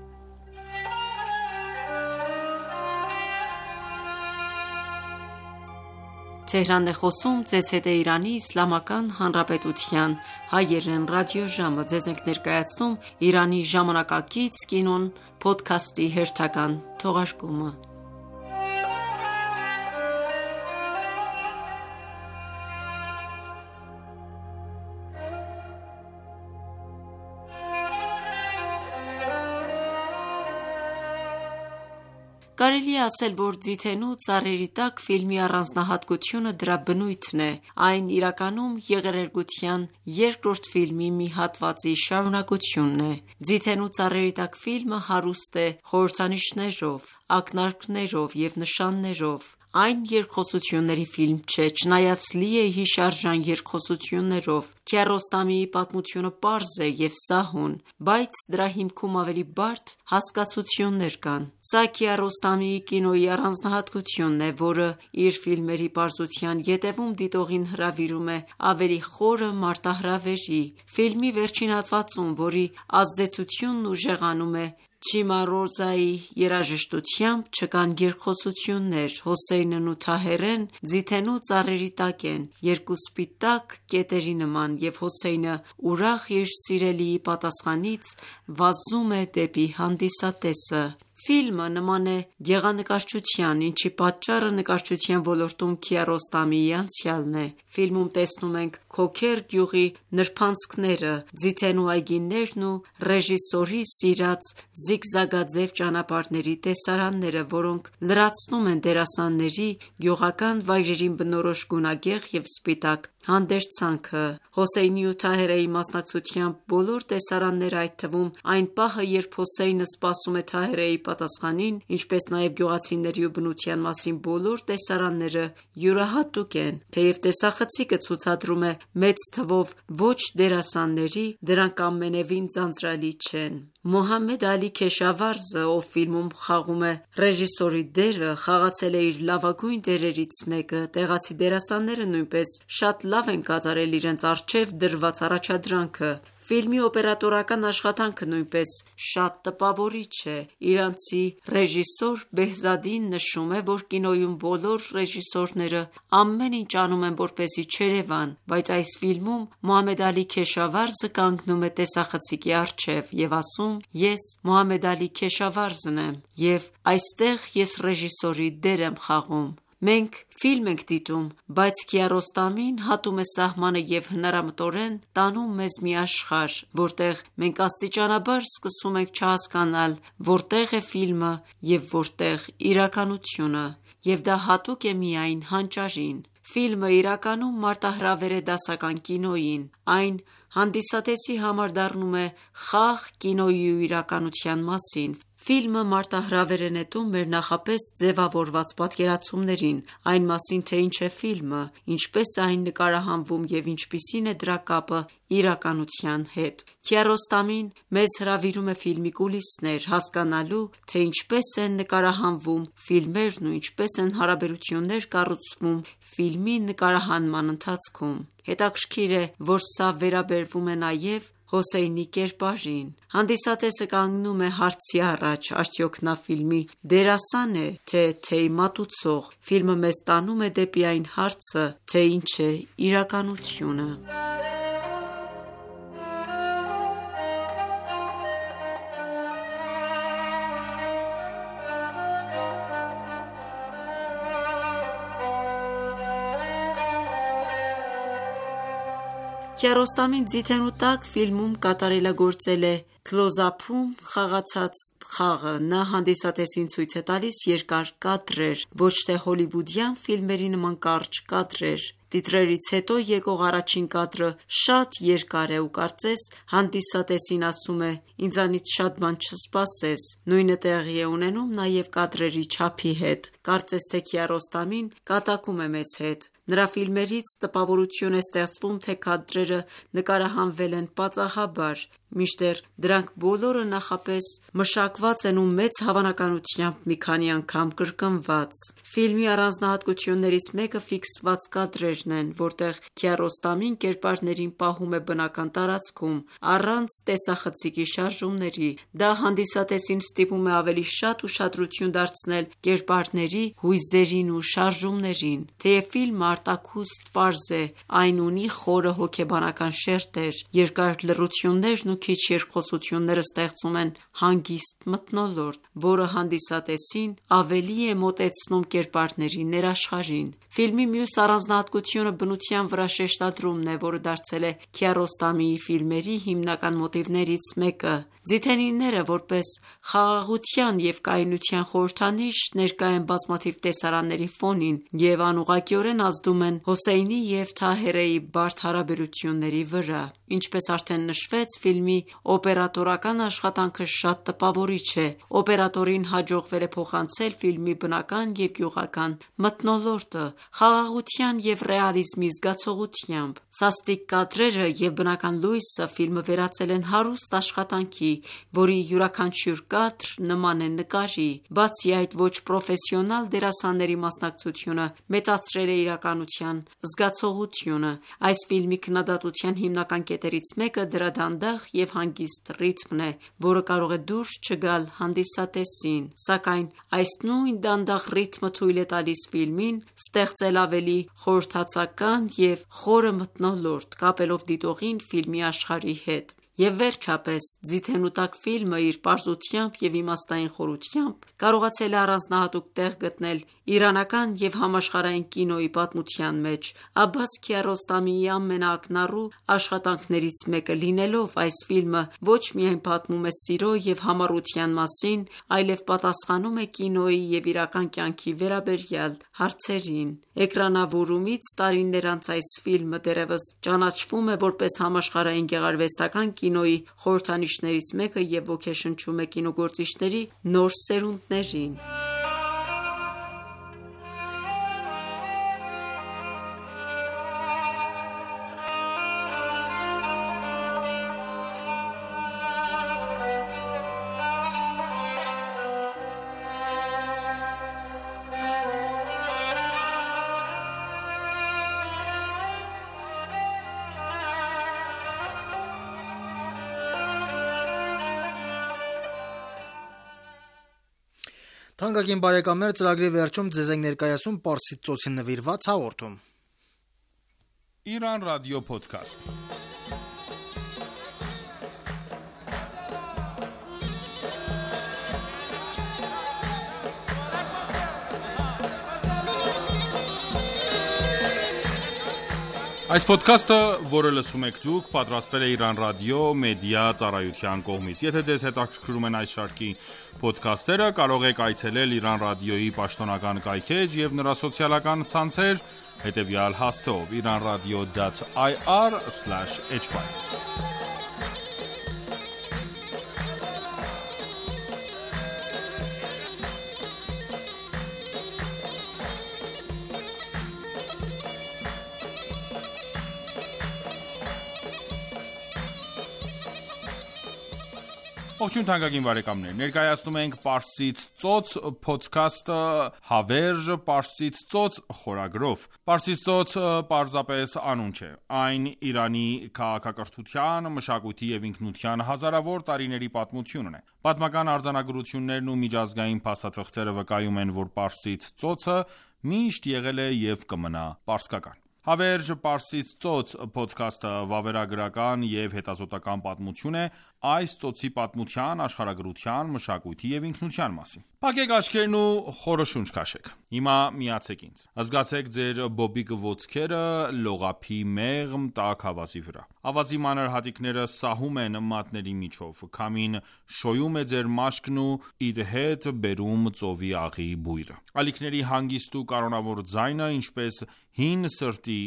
Կարելի է ասել, որ «Ձիթենու ծառերի տակ» ֆիլմի առանձնահատկությունը դրա բնույթն է։ Այն իրականում եղերգության երկրորդ ֆիլմի մի հատվածի շարունակությունն է։ «Ձիթենու ծառերի տակ» ֆիլմը հարուստ է խորհրդանիշներով, ակնարկներով և նշաններով։ Այն երկխոսությունների ֆիլմ չէ, չնայած լի է հիշարժան երկխոսություններով։ Քիարոստամիի պատմությունը պարզ է և սահուն, բայց դրա հիմքում ավելի բարդ հասկացություններ կան։ Սա Քիարոստամիի կինոյի առանձնահատկությունն է, որը իր ֆիլմերի պարզության ետևում դիտողին հրավիրում է ավելի խորը մարտահրավերի։ Ֆիլմի վերջին հատվածում, որի ազդեցությունն ուժեղանում է Չիմարոզայի երաժշտությամբ, չկան երկխոսություններ։ Հոսեյնն ու Թահերեն ձիթենու ծառերի տակ են, երկու սպիտակ կետերի նման, և Հոսեյնը ուրախ իր սիրելիի պատասխանից վազում է դեպի հանդիսատեսը։ Ֆիլմը նման է գեղանկարչության, ինչի պատճառը նկարչության ոլորտում Քիարոստամիի անցյալն է։ Ֆիլմում տեսնում ենք Քոքեր գյուղի նրբանցքները, ձիթենու այգիներն ու ռեժիսորի սիրած զիգզագաձև ճանապարհների տեսարանները, որոնք լրացնում են դերասանների գյուղական վայրերին բնորոշ գունագեղ և սպիտակ հանդերձանքը։ Հոսեյնի ու Թահերեի մասնակցությամբ բոլոր տեսարանները, այդ թվում այն պահը, երբ Հոսեյնը սպասում է Թահերեի պատասխանին, ինչպես նաև գյուղացիների ու բնության մասին բոլոր տեսարանները յուրահատուկ են։ Թեև տեսախցիկը ցուցադրում է մեծ թվով ոչ դերասանների, դրանք ամենևին ձանձրալի չեն։ Մոհամմեդ Ալի Քեշավարզը, ով ֆիլմում խաղում է ռեժիսորի դերը, խաղացել է իր լավագույն դերերից մեկը։ Տեղացի դերասանները նույնպես շատ լավ են կատարել իրենց առջև դրված առաջադրանքը։ Ֆիլմի օպերատորական աշխատանքը նույնպես շատ տպավորիչ է։ Իրանցի ռեժիսոր Բեհզադին նշում է, որ կինոյում բոլոր ռեժիսորները ամեն ինչ անում են, որպեսզի չերևան, բայց այս ֆիլմում Մոհամմեդ Ալի Քեշավարզը կանգնում է տեսախցիկի առջև և ասում. «Ես Մոհամմեդ Ալի Քեշավարզն եմ, և այստեղ ես ռեժիսորի դեր եմ խաղում»։ Մենք ֆիլմ ենք դիտում, բայց Քիարոստամին հատում է սահմանը և հնարամտորեն տանում մեզ մի աշխարհ, որտեղ մենք աստիճանաբար սկսում ենք չհասկանալ որտեղ է ֆիլմը և որտեղ իրականությունը, և դա հատուկ է միայն հանճարին։ Ֆիլմը իրականում մարտահրավեր է դասական կինոյին։ Այն հանդիսատեսի համար դառնում է խաղ կինոյի ու իրականության մասին։ Ֆիլմը մարտահրավեր է նետում մեր նախապես ձևավորված պատկերացումներին այն մասին, թե ինչ է ֆիլմը, ինչպես է այն նկարահանվում և ինչպիսին է դրա կապը իրականության հետ։ Քիարոստամին մեզ հրավիրում է ֆիլմի կուլիսներ, հասկանալու, թե ինչպես են նկարահանվում ֆիլմերն ու ինչպես են հարաբերություններ կառուցվում ֆիլմի նկարահանման ընթացքում։ Հետաքրքիր է, որ սա վերաբերվում է նաև Հոսեյնի կերպարին։ Հանդիսատեսը կանգնում է հարցի առաջ. արդյոք նա ֆիլմի դերասա՞ն է, թե թեյ-մատուցող։ Ֆիլմը մեզ տանում է դեպի այն հարցը, թե ինչ է իրականությունը։ Քիարոստամին ձիթենու տակ ֆիլմում կատարելագործել է քլոզափում խաղացած խաղը։ Նա հանդիսատեսին ցույց է տալիս երկար կադրեր, ոչ թե հոլիվուդյան ֆիլմերի նման կարճ կադրեր։ Տիտրերից հետո եկող առաջին կադրը շատ երկար է ու կարծես հանդիսատեսին ասում է. «Ինձանից շատ բան չսպասես»։ Նույնը տեղի է ունենում նաև կադրերի չափի հետ։ Կարծես թե Քիարոստամին կատակում է մեզ հետ։ Նրա ֆիլմերից տպավորություն է ստեղծվում, թե կադրերը նկարահանվել են պատահաբար, մինչդեռ դրանք բոլորը նախապես մշակված են ու մեծ հավանականությամբ մի քանի անգամ կրկնված։ Ֆիլմի առանձնահատկություններից մեկը ֆիքսված կադրերն են, որտեղ Քիարոստամին կերպարներին պահում է բնական տարածքում, առանց տեսախցիկի շարժումների։ Դա հանդիսատեսին ստիպում է ավելի շատ ուշադրություն դարձնել կերպարների հույզերին ու շարժումներին։ Թեև ֆիլմը արտաքուստ պարզ է, այն ունի խորը հոգեբանական շերտեր, երկար լռություններն ու քիչ երկխոսությունները ստեղծում են հանգիստ մթնոլորտ, որը հանդիսատեսին ավելի է մոտեցնում կերպարների ներաշխարհին։ Ֆիլմի մյուս առանձնահատկությունը բնության վրա շեշտադրումն է, որը դարձել է Քիարոստամիի ֆիլմերի հիմնական մոտիվներից մեկը։ Ձիթենիները որպես խաղաղության և կայունության խորհրդանիշ ներկա են բազմաթիվ տեսարանների ֆոնին և անուղղակիորեն ազդում են Հոսեյնի և Թահերեի բարդ հարաբերությունների վրա։ Ինչպես արդեն նշվեց, ֆիլմի օպերատորական աշխատանքը շատ տպավորիչ է։ Օպերատորին հաջողվել է փոխանցել ֆիլմի բնական և գյուղական մթնոլորտը խաղաղության և ռեալիզմի զգացողությամբ։ Սաստիկ կադրերը և բնական լույսը ֆիլմը վերածել են հարուստ աշխատանքի, որի յուրաքանչյուր կադր նման է նկարի։ Բացի այդ, ոչ պրոֆեսիոնալ դերասանների մասնակցությունը մեծացրել է իրականության զգացողությունը։ Այս ֆիլմի քննադատության հիմնական կետերից մեկը դրա դանդաղ և հանգիստ ռիթմն է, որը կարող է դուրս չգալ հանդիսատեսին։ Սակայն այս նույն դանդաղ ռիթմը թույլ է տալիս ֆիլմին ստեղծել ավելի խորհրդածական և խորը մթնոլորտ՝ կապելով դիտողին ֆիլմի աշխարհի հետ։ Եվ վերջապես, ձիթենու տակ ֆիլմը իր պարզությամբ և իմաստային խորությամբ կարողացել է առանձնահատուկ տեղ գտնել իրանական և համաշխարհային կինոյի պատմության մեջ։ Աբբաս Քիարոստամիի ամենաակնառու աշխատանքներից մեկը լինելով, այս ֆիլմը ոչ միայն պատմում է սիրո և համառության մասին, այլև պատասխանում է կինոյի և իրական կյանքի վերաբերյալ հարցերին։ Էկրանավորումից տարիներ անց այս ֆիլմը դեռևս ճանաչվում է որպես համաշխարհային գեղարվեստական կինոյի խորհրդանիշներից մեկը և ոգեշնչում է կինոգործիչների նոր սերունդներին։ Թանկագին բարեկամներ, ծրագրի վերջում ձեզ ենք ներկայացում Պարսից ծոցին նվիրված հաղորդում։ Իրան ռադիո փոդքասթ։ Այս փոդքասթը, որը լսում եք դուք, պատրաստվել է Իրան ռադիո մեդիա ծառայության կողմից։ Եթե ձեզ հետաքրքրում են այս շարքի փոդքասթերը, կարող եք այցելել Իրան ռադիոյի պաշտոնական կայքեջ և նրա սոցիալական ցանցեր հետևյալ հասցեով՝ iranradio.ir/hy Ողջույն թանկագին բարեկամներ, ներկայացնում ենք Պարսից ծոց փոդքասթը հավերժ Պարսից ծոց խորագրով։ Պարսից ծոց պարզապես անուն չէ, այն Իրանի քաղաքակրթության, մշակույթի և ինքնության հազարավոր տարիների պատմությունն է։ Պատմական արձանագրություններն ու միջազգային փաստաթղթերը վկայում են, որ Պարսից ծոցը միշտ եղել է և կմնա պարսկական։ Հավերժ Պարսից ծոց փոդքասթը վավերագրական և հետազոտական պատմություն է այս ծոցի պատմության, աշխարհագրության, մշակույթի և ինքնության մասին։ Փակեք աչքերն ու խորը շունչ քաշեք։ Հիմա միացեք ինձ։ Զգացեք ձեր բոբիկ ոտքերը լողափի մեղմ տաք ավազի վրա։ Ավազի մանր հատիկները սահում են մատների միջով։ Քամին շոյում է ձեր մաշկն ու իր հետ բերում ծովի աղի բույրը։ Ալիքների հանգիստ ու կանոնավոր ձայնը, ինչպես հին սրտի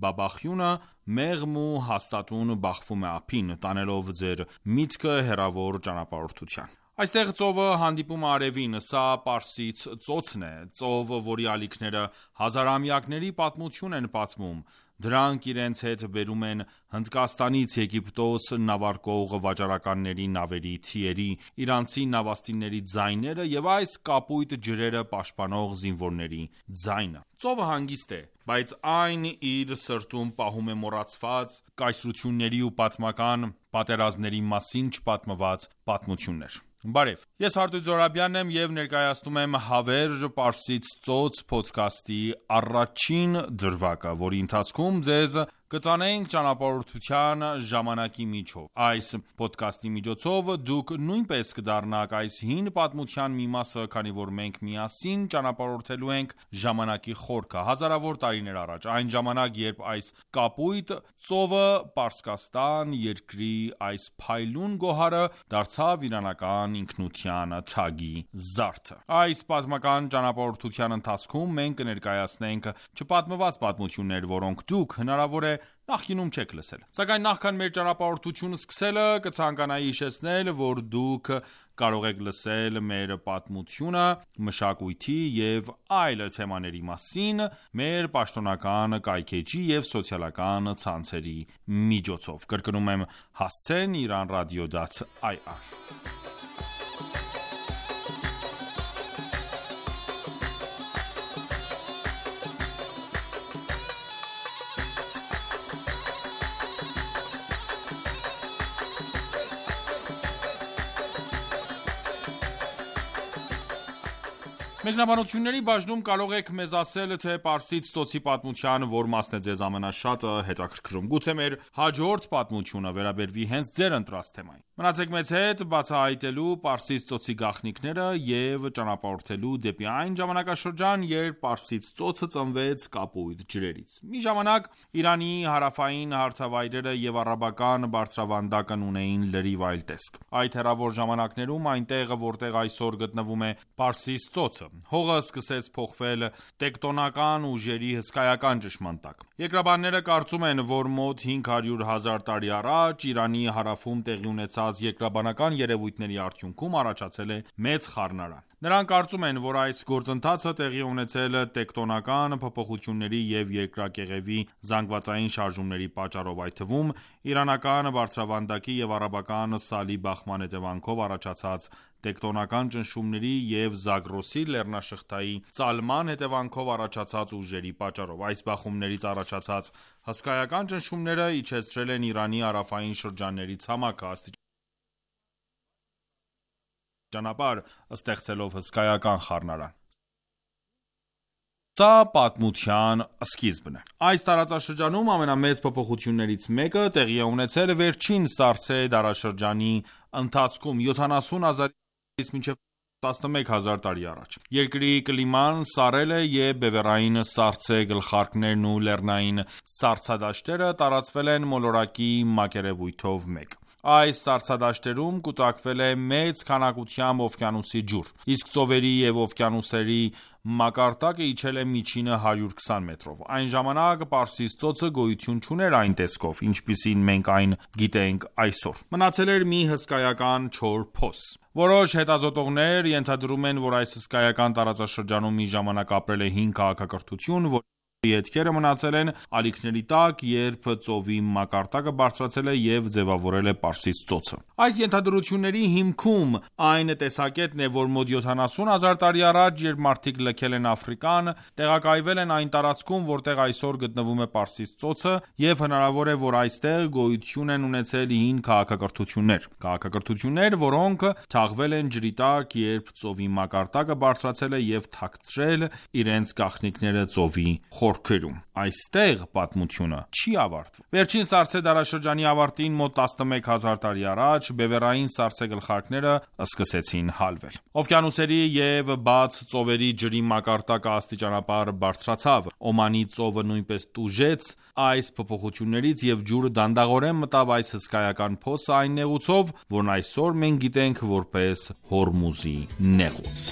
բաբախյունը, մեղմ ու հաստատուն բախվում է ափին, տանելով ձեր միտքը հեռավոր ճանապարհորդության։ Այստեղ ծովը հանդիպում է արևին, սա Պարսից ծոցն է, ծով, որի ալիքները հազարամյակների պատմություն են պատմում։ Դրանք իրենց հետ բերում են Հնդկաստանից Եգիպտոս նավարկող վաճառականների նավերի թիերի, իրանցի նավաստիների ձայները և այս կապույտ ջրերը պաշտպանող զինվորների ձայնը։ Ծովը հանգիստ է, բայց այն իր սրտում պահում է մոռացված կայսրությունների ու պատմական պատերազմների մասին չպատմված պատմություններ։ Բարև, ես Հարտույց Զոհրաբյանն եմ և ներկայացնում եմ Հավերժ Պարսից ծոց փոդքասթի առաջին դրվագը, որի ընթացքում ձեզ կտանենք ճանապարհորդության ժամանակի միջով։ Այս փոդքասթի միջոցով դուք նույնպես կդառնաք այս հին պատմության մի մասը, քանի որ մենք միասին ճանապարհորդելու ենք ժամանակի խորքը, հազարավոր տարիներ առաջ, այն ժամանակ, երբ այս կապույտ ծովը Պարսկաստան երկրի այս փայլուն գոհարը դարձավ իրանական ինքնության թագի զարդը։ Այս պատմական ճանապարհորդության ընթացքում մենք կներկայացնենք չպատմված պատմություններ, որոնք դուք հնարավոր է նախկինում չեք լսել։ Սակայն նախքան մեր ճանապարհորդությունը սկսելը, կցանկանայի հիշեցնել, որ դուք կարող եք լսել մեր պատմությունը, մշակույթի և այլ թեմաների մասին մեր պաշտոնական կայքէջի և սոցիալական ցանցերի միջոցով։ Կրկնում եմ, հասցեն iranradio.ir։ Մեկնաբանությունների բաժնում կարող եք մեզ ասել, թե Պարսից ծոցի պատմության որ մասն է ձեզ ամենաշատը հետաքրքրում։ Գուցե մեր հաջորդ պատմությունը վերաբերվի հենց ձեր ընտրած թեմային։ Մնացեք մեզ հետ բացահայտելու Պարսից ծոցի գաղտնիքները և ճանապարհորդելու դեպի այն ժամանակաշրջան, երբ Պարսից ծոցը ծնվեց կապույտ ջրերից։ Մի ժամանակ Իրանի հարավային հարթավայրերը և առաբական բարձրավանդակն ունեին լրիվ այլ տեսք։ Այդ հեռավոր ժամանակներում այնտեղ, որտեղ այսօր գտնվում է Պարսից ծոցը, հողը սկսեց փոխվել տեկտոնական ուժերի հսկայական ճնշման տակ։ Երկրաբանները կարծում են, որ մոտ 500,000 տարի առաջ Իրանի հարավում տեղի ունեցած երկրաբանական երևույթների արդյունքում առաջացել է մեծ խառնարան։ Նրանք կարծում են, որ այս գործընթացը տեղի ունեցել տեկտոնական փոփոխությունների և երկրակեղևի զանգվածային շարժումների պատճառով, այդ թվում իրանական բարձրավանդակի և առաբական սալի բախման հետևանքով առաջացած տեկտոնական ճնշումների և Զագրոսի լեռնաշղթայի ծալման հետևանքով առաջացած ուժերի պատճառով։ Այս բախումներից առաջացած հսկայական ճնշումները իջեցրել են Իրանի հարավային շրջանների ցամաքը, աստիճանաբար ստեղծելով հսկայական խառնարան։ Սա պատմության սկիզբն է։ Այս տարածաշրջանում ամենամեծ փոփոխություններից մեկը տեղի է ունեցել վերջին Սարսե դարաշրջանի ընթացքում 70,000-ից մինչև 11,000 տարի առաջ։ Երկրի կլիման սառել է և բևեռային սառցե գլխարկներն ու լեռնային սառցադաշտերը տարածվել են մոլորակի մակերևույթով մեկ։ Այս սառցադաշտերում կուտակվել է մեծ քանակությամբ օվկիանոսի ջուր, իսկ ծովերի և օվկիանոսների մակարդակը իջել է միջինը 120 մետրով։ Այն ժամանակ Պարսից ծոցը գոյություն չուներ այն տեսքով, ինչպիսին մենք այն գիտենք այսօր։ Մնացել էր մի հսկայական չոր փոս։ Որոշ հետազոտողներ ենթադրում են, որ այս հսկայական տարածաշրջանում մի ժամանակ ապրել է հին քաղաքակրթություն, որի հետքերը մնացել են ալիքների տակ, երբ ծովի մակարդակը բարձրացել է և ձևավորել է Պարսից ծոցը։ Այս ենթադրությունների հիմքում այն տեսակետն է, որ մոտ 70,000 տարի առաջ, երբ մարդիկ լքել են Աֆրիկան, տեղակայվել են այն տարածքում, որտեղ այսօր գտնվում է Պարսից ծոցը, և հնարավոր է, որ այստեղ գոյություն են ունեցել հին քաղաքակրթություններ, որոնք թաղվել են ջրի տակ, երբ ծովի մակարդակը բարձրացել է և թաքցրել իրենց գաղտնիքները ծովի խորքում։ խորքերում։ Այստեղ պատմությունը չի ավարտվում։ Վերջին Սարսե դարաշրջանի ավարտին, մոտ 11,000 տարի առաջ, բևեռային Սարսե գլխարկները սկսեցին հալվել։ Օվկիանոսերի և բաց ծովերի ջրի մակարդակը աստիճանաբար բարձրացավ։ Օմանի ծովը նույնպես տուժեց այս փոփոխություններից և ջուրը դանդաղորեն մտավ այս հսկայական փոսը այն նեղուցով, որն այսօր մենք գիտենք որպես Հորմուզի նեղուց։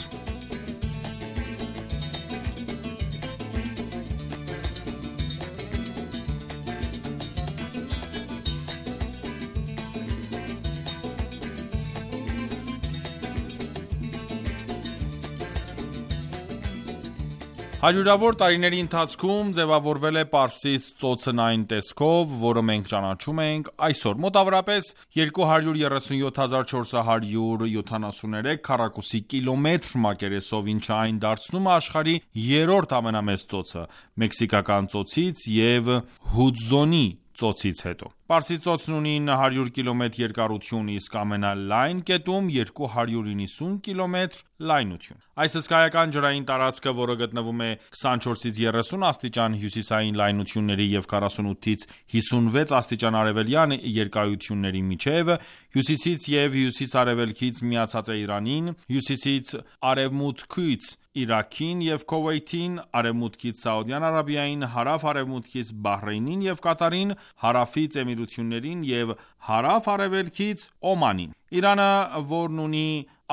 Հարյուրավոր տարիների ընթացքում ձևավորվել է Պարսից ծոցն այն տեսքով, որը մենք ճանաչում ենք այսօր։ Մոտավորապես 237,473 քառակուսի կիլոմետր մակերեսով, ինչը այն դարձնում է աշխարհի երրորդ ամենամեծ ծոցը Մեքսիկական ծոցից և Հուդզոնի ծոցից հետո։ Պարսից ծոցն ունի 900 կիլոմետր երկարություն, իսկ ամենալայն կետում 290 կիլոմետր լայնություն։ Այս հսկայական ջրային տարածքը, որը գտնվում է 24-ից 30 աստիճան հյուսիսային լայնությունների և 48-ից 56 աստիճան արևելյան երկայությունների միջև, հյուսիսից և հյուսիս-արևելքից միացած է Իրանին, հյուսիսից արևմուտքից Իրաքին և Քուվեյթին, արևմուտքից Սաուդյան Արաբիային, հարավ-արևմուտքից Բահրեյնին և Կատարին, հարավից Էմիրություններին և հարավ-արևելքից Օմանին։ Իրանը, որն ունի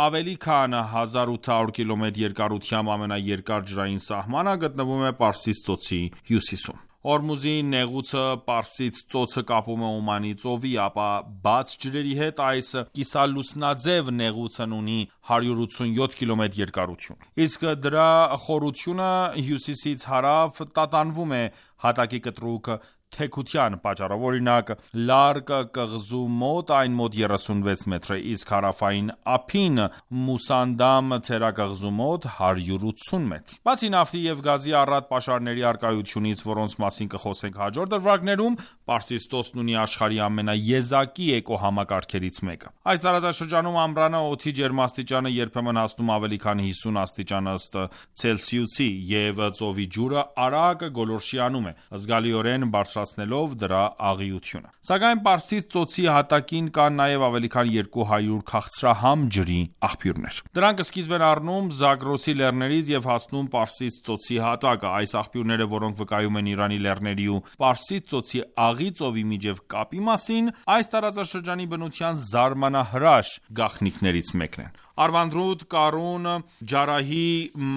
ավելի քան 1800 կիլոմետր երկարությամբ ամենաերկար ջրային սահմանը, գտնվում է Պարսից ծոցի հյուսիսում։ Հորմուզի նեղուցը Պարսից ծոցը կապում է Օմանի ծովի, ապա բաց ջրերի հետ այս կիսալուսնաձև նեղուցն ունի 187 կիլոմետր երկարություն։ Իսկ դրա խորությունը հյուսիսից հարավ տատանվում է հատակի կտրուկ թեքության պատճառով, օրինակ Լարկ կղզու մոտ այն մոտ 36 մետր է, իսկ հարավային ափին Մուսանդամ թերակղզու մոտ 180 մետր։ Բացի նավթի և գազի առատ պաշարների առկայությունից, որոնց մասին կխոսենք հաջորդ դրվագներում, Պարսից ծոցն ունի աշխարհի ամենաեզակի էկոհամակարգերից մեկը։ Այս տարածաշրջանում ամռանը օդի ջերմաստիճանը երբեմն հասնում ավելի քան 50 աստիճան ըստ Ցելսիուսի, և ծովի ջուրը արագ գոլորշիանում է, զգալիորեն բարձրացնելով դրա աղիությունը։ Սակայն Պարսից ծոցի հատակին կան նաև ավելի քան 200 քաղցրահամ ջրի աղբյուրներ։ Դրանք սկիզբ են առնում Զագրոսի լեռներից և հասնում Պարսից ծոցի հատակը։ Այս աղբյուրները, որոնք վկայում են Իրանի լեռների ու Պարսից ծոցի աղի ծովի միջև կապի մասին, այս տարածաշրջանի բնության զարմանահրաշ գաղտնիքներից մեկն են։ Արվանդրուտ, Կարուն, Ջարահի,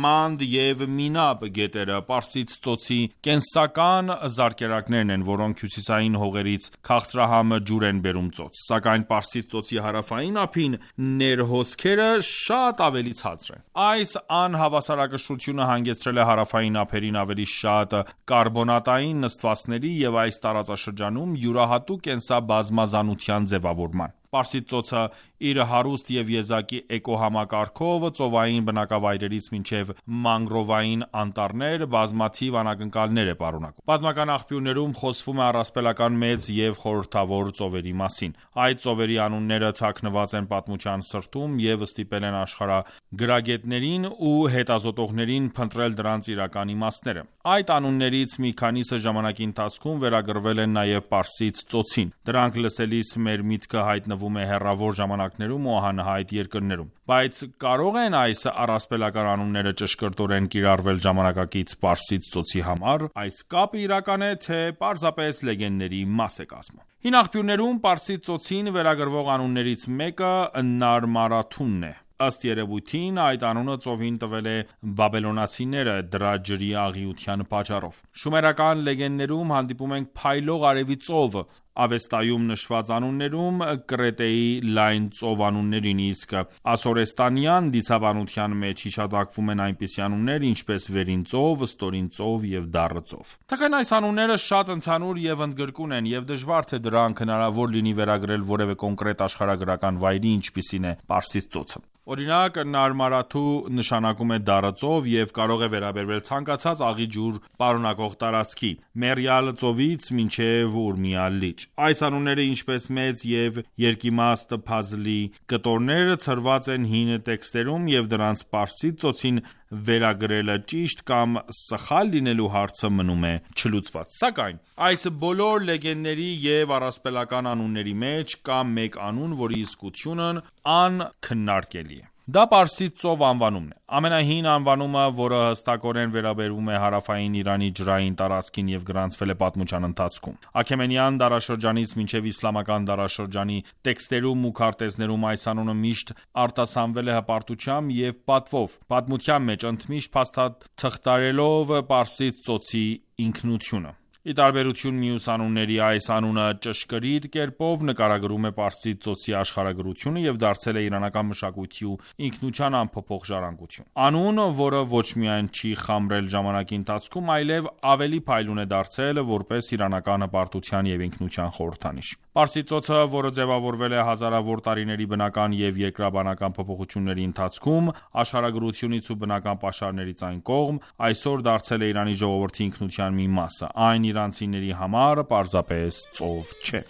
Մանդ և Մինաբ գետերը Պարսից ծոցի կենսական զարկերակներն են, որոնք հյուսիսային հողերից քաղցրահամ ջուր են բերում ծոց։ Սակայն Պարսից ծոցի հարավային ափին ներհոսքերը շատ ավելի ցածր են։ Այս անհավասարակշռությունը հանգեցրել է հարավային ափերին ավելի շատ կարբոնատային նստվածքների և այս տարածաշրջանում յուրահատուկ կենսաբազմազանության ձևավորման։ Պարսից ծոցը իր հարուստ և եզակի էկոհամակարգով ծովային բնակավայրերից մինչև մանգրովային անտառներ բազմաթիվ անակնկալներ է պարունակում։ Պատմական աղբյուրներում խոսվում է առասպելական մեծ և խորհրդավոր ծովերի մասին։ Այդ ծովերի անունները թաքնված են պատմության սրտում և ստիպել են աշխարհագրագետներին ու հետազոտողներին փնտրել դրանց իրական իմաստները։ Այդ անուններից մի քանիսը ժամանակի ընթացքում վերագրվել են նաև Պարսից ծոցին։ Դրանք լսելիս մեր միտքը հայտնվում է հեռավոր ժամանակներում ու անհայտ երկրներում։ Բայց կարող են այս առասպելական անունները ճշգրտորեն կիրառվել ժամանակակից Պարսից ծոցի համար։ Այս կապը իրական է, թե պարզապես լեգենդների մաս է կազմում։ Հին աղբյուրներում Պարսից ծոցին վերագրվող անուններից մեկը Նարմարաթունն է։ Ըստ երևույթին, այդ անունը ծովին տվել է բաբելոնացիները դրա ջրի աղիության պատճառով։ Շումերական լեգենդներում հանդիպում ենք փայլող արևի ծով, Ավեստայում նշված անուններում Կրետեի լայն ծով անուններին, իսկ ասորեստանյան դիցաբանության մեջ հիշատակվում են այնպիսի անուններ, ինչպես Վերին ծով, Ստորին ծով և Դառը ծով։ Սակայն այս անունները շատ ընդհանուր և ընդգրկուն են, և դժվար թե դրանք հնարավոր լինի վերագրել որևէ կոնկրետ աշխարհագրական վայրի, ինչպիսին է Պարսից ծոցը։ Օրինակ, Նարմարաթու նշանակում է դառը ծով և կարող է վերաբերվել ցանկացած աղի ջուր պարունակող տարածքի՝ Մեռյալ ծովից մինչև Ուրմիա լիճ։ Այս անունները ինչպես մեծ և երկիմաստ փազլի կտորներ ցրված են հին տեքստերում և դրանց պարսից ծոցին վերագրելը ճիշտ կամ սխալ լինելու հարցը մնում է չլուծված։ Սակայն այս բոլոր լեգենդների և առասպելական անունների մեջ կա մեկ անուն, որի իսկությունն անքննարկելի է։ Դա Պարսից ծով անվանումն է։ Ամենահին անվանումը, որը հստակորեն վերաբերում է հարավային Իրանի ջրային տարածքին և գրանցվել է պատմության ընթացքում։ Աքեմենյան դարաշրջանից մինչև իսլամական դարաշրջանի տեքստերում ու քարտեզներում այս անունը միշտ արտասանվել է հպարտությամբ և պատվով, պատմության մեջ ընդմիշտ փաստաթղթարելով Պարսից ծոցի ինքնությունը։ Ի տարբերություն մյուս անունների, այս անունը ճշգրիտ կերպով նկարագրում է Պարսից ծոցի աշխարհագրությունը և դարձել է իրանական մշակույթի ու ինքնության անփոփոխ ժառանգություն։ Անուն, որը ոչ միայն չի խամրել ժամանակի ընթացքում, այլև ավելի փայլուն է դարձել որպես իրանական հպարտության և ինքնության խորհրդանիշ։ Պարսից ծոցը, որը ձևավորվել է հազարավոր տարիների բնական և երկրաբանական փոփոխությունների ընթացքում, աշխարհագրությունից ու բնական պաշարներից այն կողմ, այսօր դարձել է Իրանի ժողովրդի ինքնության մի մասը։ Այն իրանցիների համար պարզապես ծով չէ։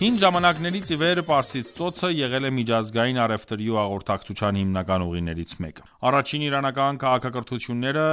Հին ժամանակներից ի վեր Պարսից ծոցը եղել է միջազգային առևտրի ու հաղորդակցության հիմնական ուղիներից մեկը։ Առաջին իրանական քաղաքակրթությունները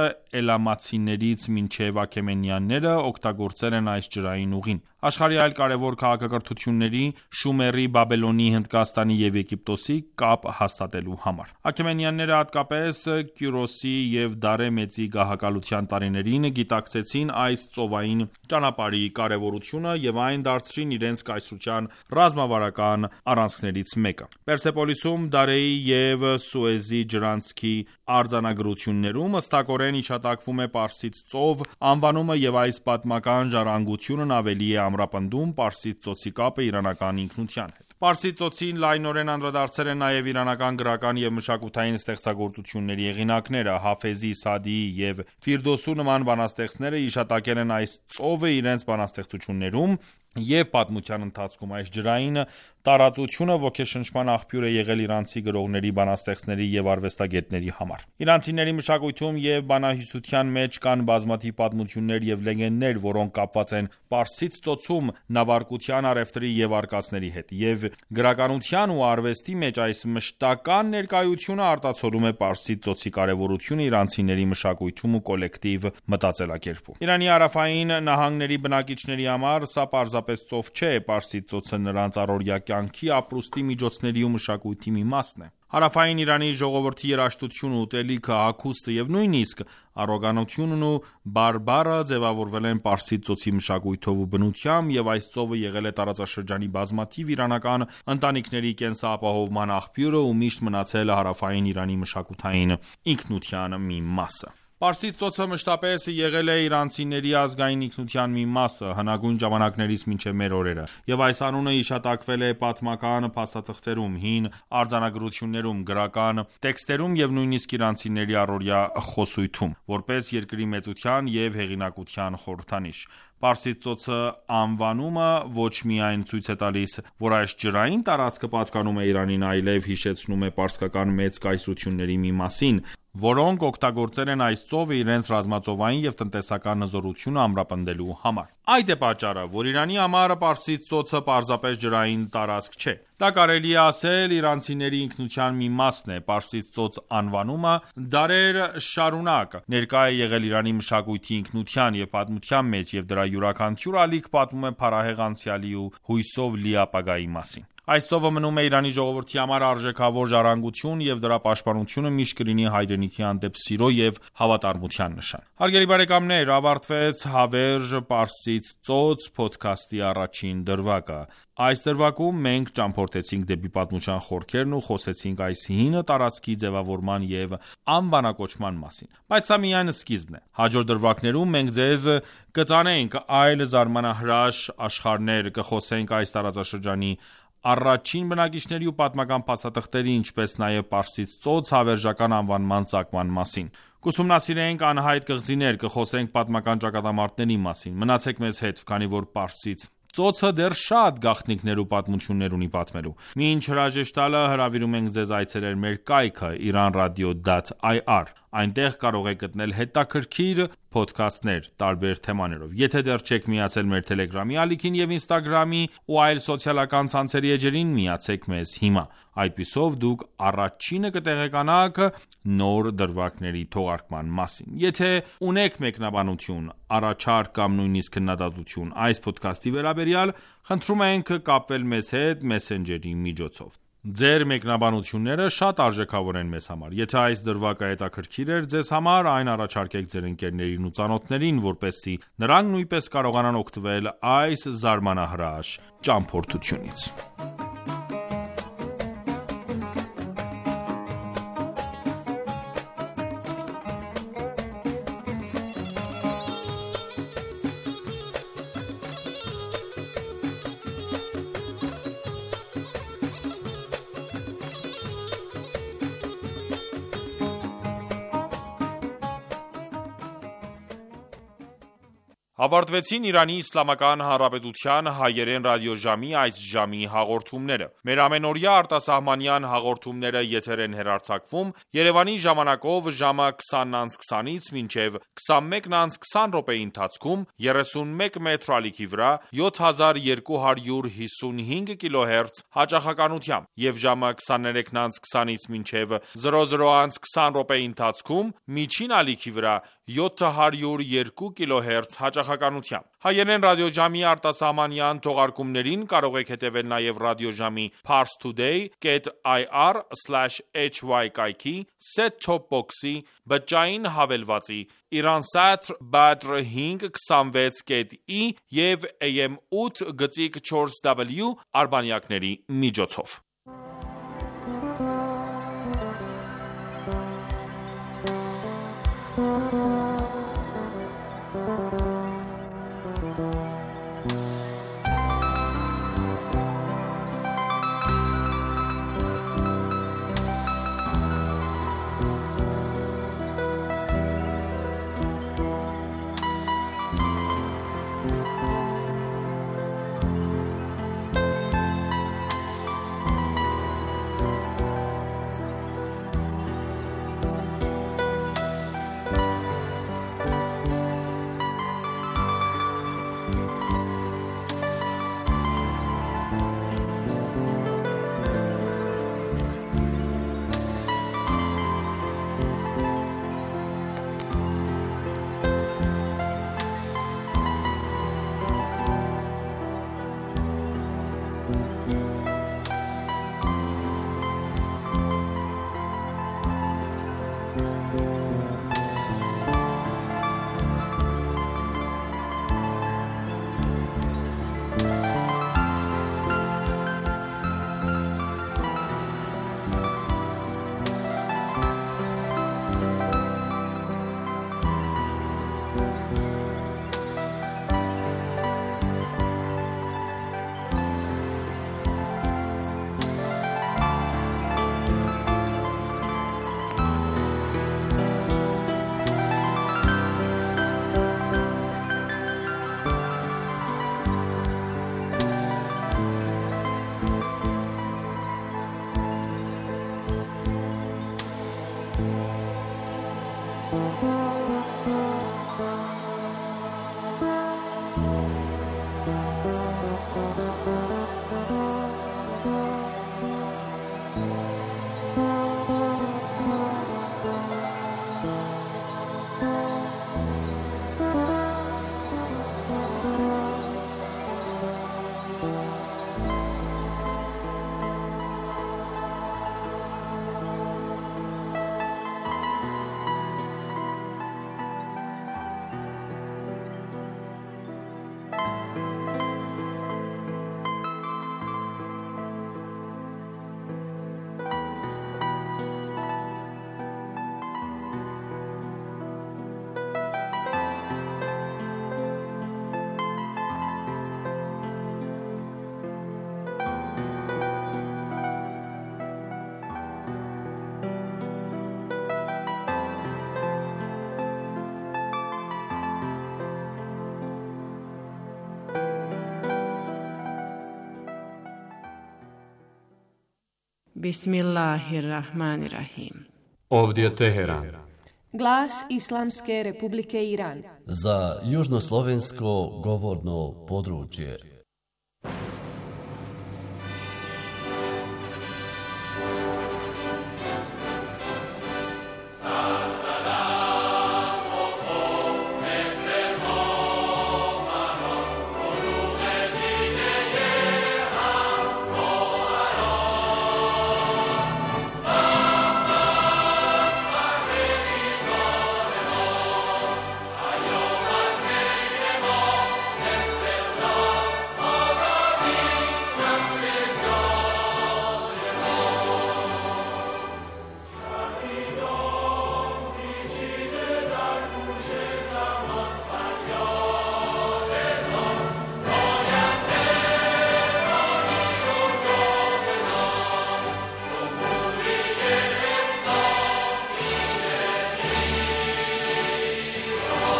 էլամացիներից մինչև աքեմենյանները օգտագործել են այս ջրային ուղին։ Աշխարհի այլ կարևոր քաղաքակրթությունների՝ Շումերի, Բաբելոնի, Հնդկաստանի և Եգիպտոսի կապ հաստատելու համար։ Աքեմենյանները հատկապես Կյուրոսի և Դարե Մեծի գահակալության տարիներին գիտակցեցին այս ծովային ճանապարհի կարևորությունը և այն դարձրին իրենց կայսրության ռազմավարական առանցքներից մեկը։ Պերսեպոլիսում Դարեի և Սուեզի ջրանցքի արձանագրություններում հստակորեն հիշատակվում է Պարսից ծով անվանումը և այս պատմական ժառանգությունն ավելի է ամրապնդում Պարսից ծոցի կապը իրանական ինքնության հետ։ Պարսից ծոցին լայնորեն անդրադարձել են նաև իրանական գրական և մշակութային ստեղծագործությունների հեղինակները։ Հաֆեզի, Սաադիի և Ֆիրդոսու նման բանաստեղծները հիշատակել են այս ծովը իրենց բանաստեղծություններում և պատմության ընթացքում այս ջրային տարածությունը ոգեշնչման աղբյուր է եղել իրանցի գրողների, բանաստեղծների և արվեստագետների համար։ Իրանցիների մշակույթում և բանահյուսության մեջ կան բազմաթիվ պատմություններ և լեգենդներ, որոնք կապված են Պարսից ծոցում նավարկության, առևտրի և արկածների հետ, և գրականության ու արվեստի մեջ այս մշտական ներկայությունը արտացոլում է Պարսից ծոցի կարևորությունը իրանցիների մշակույթում ու կոլեկտիվ մտածելակերպում։ Իրանի հարավային նահանգների բնակիչների համար սա պարզապես ծով չէ, Պարսից ծոցը նրանց առօրյա կյանքի, ապրուստի միջոցների ու մշակույթի մի մասն է։ Հարավային Իրանի ժողովրդի երաժշտությունը, ուտելիքը, հագուստը և նույնիսկ առոգանությունն ու բարբառը ձևավորվել են Պարսից ծոցի մշակույթով ու բնությամբ, և այս ծովը եղել է տարածաշրջանի բազմաթիվ իրանական ընտանիքների կենսապահովման աղբյուրը ու միշտ մնացել հարավային Իրանի մշակութային ինքնության մի մասը։ Պարսից ծոցը մշտապես եղել է իրանցիների ազգային ինքնության մի մասը հնագույն ժամանակներից մինչև մեր օրերը, և այս անունը հիշատակվել է պատմական փաստաթղթերում, հին արձանագրություններում, գրական տեքստերում և նույնիսկ իրանցիների առօրյա խոսույթում, որպես երկրի մեծության և հեղինակության խորհրդանիշ։ Պարսից ծոցը անվանումը ոչ միայն ցույց է տալիս, որ այս ջրային տարածքը պատկանում է Իրանին, այլև հիշեցնում է պարսկական մեծ կայսրությունների մի մասին, որոնք օգտագործել են այս ծովը իրենց ռազմածովային և տնտեսական հզորությունը ամրապնդելու համար։ Այդ է պատճառը, որ Իրանի համար Պարսից ծոցը պարզապես ջրային տարածք չէ։ Դա կարելի է ասել իրանցիների ինքնության մի մասն է։ Պարսից ծոց անվանումը դարեր շարունակ ներկա է եղել Իրանի մշակույթի ինքնության և պատմության մեջ, և դրա յուրաքանչյուր ալիք պատմում է փառահեղ անցյալի ու հույսով լի ապագայի մասին։ Այս ծովը մնում է Իրանի ժողովրդի համար արժեքավոր ժառանգություն, և դրա պաշտպանությունը միշտ կլինի հայրենիքի հանդեպ սիրո և հավատարմության նշան։ Հարգելի բարեկամներ, ավարտվեց «Հավերժ Պարսից ծոց» փոդքասթի առաջին դրվագը։ Այս դրվագում մենք ճամփորդեցինք դեպի պատմության խորքերն ու խոսեցինք այս հին տարածքի ձևավորման և անվանակոչման մասին։ Բայց սա միայն սկիզբն է։ Հաջորդ դրվագներում մենք ձեզ կտանենք այլ զարմանահրաշ աշխարհներ, կխոսենք այս տարածաշրջանի առաջին բնակիչների ու պատմական փաստաթղթերի, ինչպես նաև Պարսից ծոց հավերժական անվանման ծագման մասին։ Կուսումնասիրենք անհայտ կղզիներ, կխոսենք պատմական ճակատամարտների մասին։ Մնացեք մեզ հետ, քանի որ Պարսից ծոցը դեռ շատ գաղտնիքներ ու պատմություններ ունի պատմելու։ Մինչ հրաժեշտ տալը հրավիրում ենք ձեզ այցելել մեր կայքը iranradio.ir։ Այնտեղ կարող եք գտնել հետաքրքիր փոդքասթներ տարբեր թեմաներով։ Եթե դեռ չեք միացել մեր Telegram-ի ալիքին եւ Instagram-ի ու այլ սոցիալական ցանցերի էջերին, միացեք մեզ հիմա։ Այդպիսով դուք առաջինը կտեղեկանաք նոր դրվագների թողարկման մասին։ Եթե ունեք մեկնաբանություն, առաջարկ կամ նույնիսկ քննադատություն այս փոդքասթի վերաբերյալ, խնդրում ենք կապվել մեզ հետ Messenger-ի միջոցով։ Ձեր մեկնաբանությունները շատ արժեքավոր են մեզ համար։ Եթե այս դրվագը հետաքրքիր էր ձեզ համար, այն առաջարկեք ձեր ընկերներին ու ծանոթներին, որպեսզի նրանք նույնպես կարողանան օգտվել այս զարմանահրաշ ճամփորդությունից։ Ավարտվեցին Իրանի Իսլամական Հանրապետության հայերեն ռադիոժամի այս ժամի հաղորդումները։ Մեր ամենօրյա արտասահմանյան հաղորդումները եթեր են հեռարձակվում Երևանի ժամանակով ժամը 20:20-ից մինչև 21:20 րոպեի ընթացքում 31 մետրի ալիքի վրա 7255 կիլոհերց հաճախականությամբ եւ ժամը 23:20-ից մինչև 00:20 րոպեի ընթացքում միջին ալիքի վրա 702 կիլոհերց հաճախականությամբ։ Հայերեն ռադիոժամի արտասահմանյան թողարկումներին կարող եք հետևել նաև ռադիոժամի parstoday.ir/hy կայքի, set-top box-ի, բջջային հավելվածի, Iransat Badr 526.i եւ AM 8.4W արբանյակների միջոցով։ Bismillahirrahmanirrahim. Ovdje Teheran. Glas Islamske Republike Iran. Za južnoslovensko govorno područje.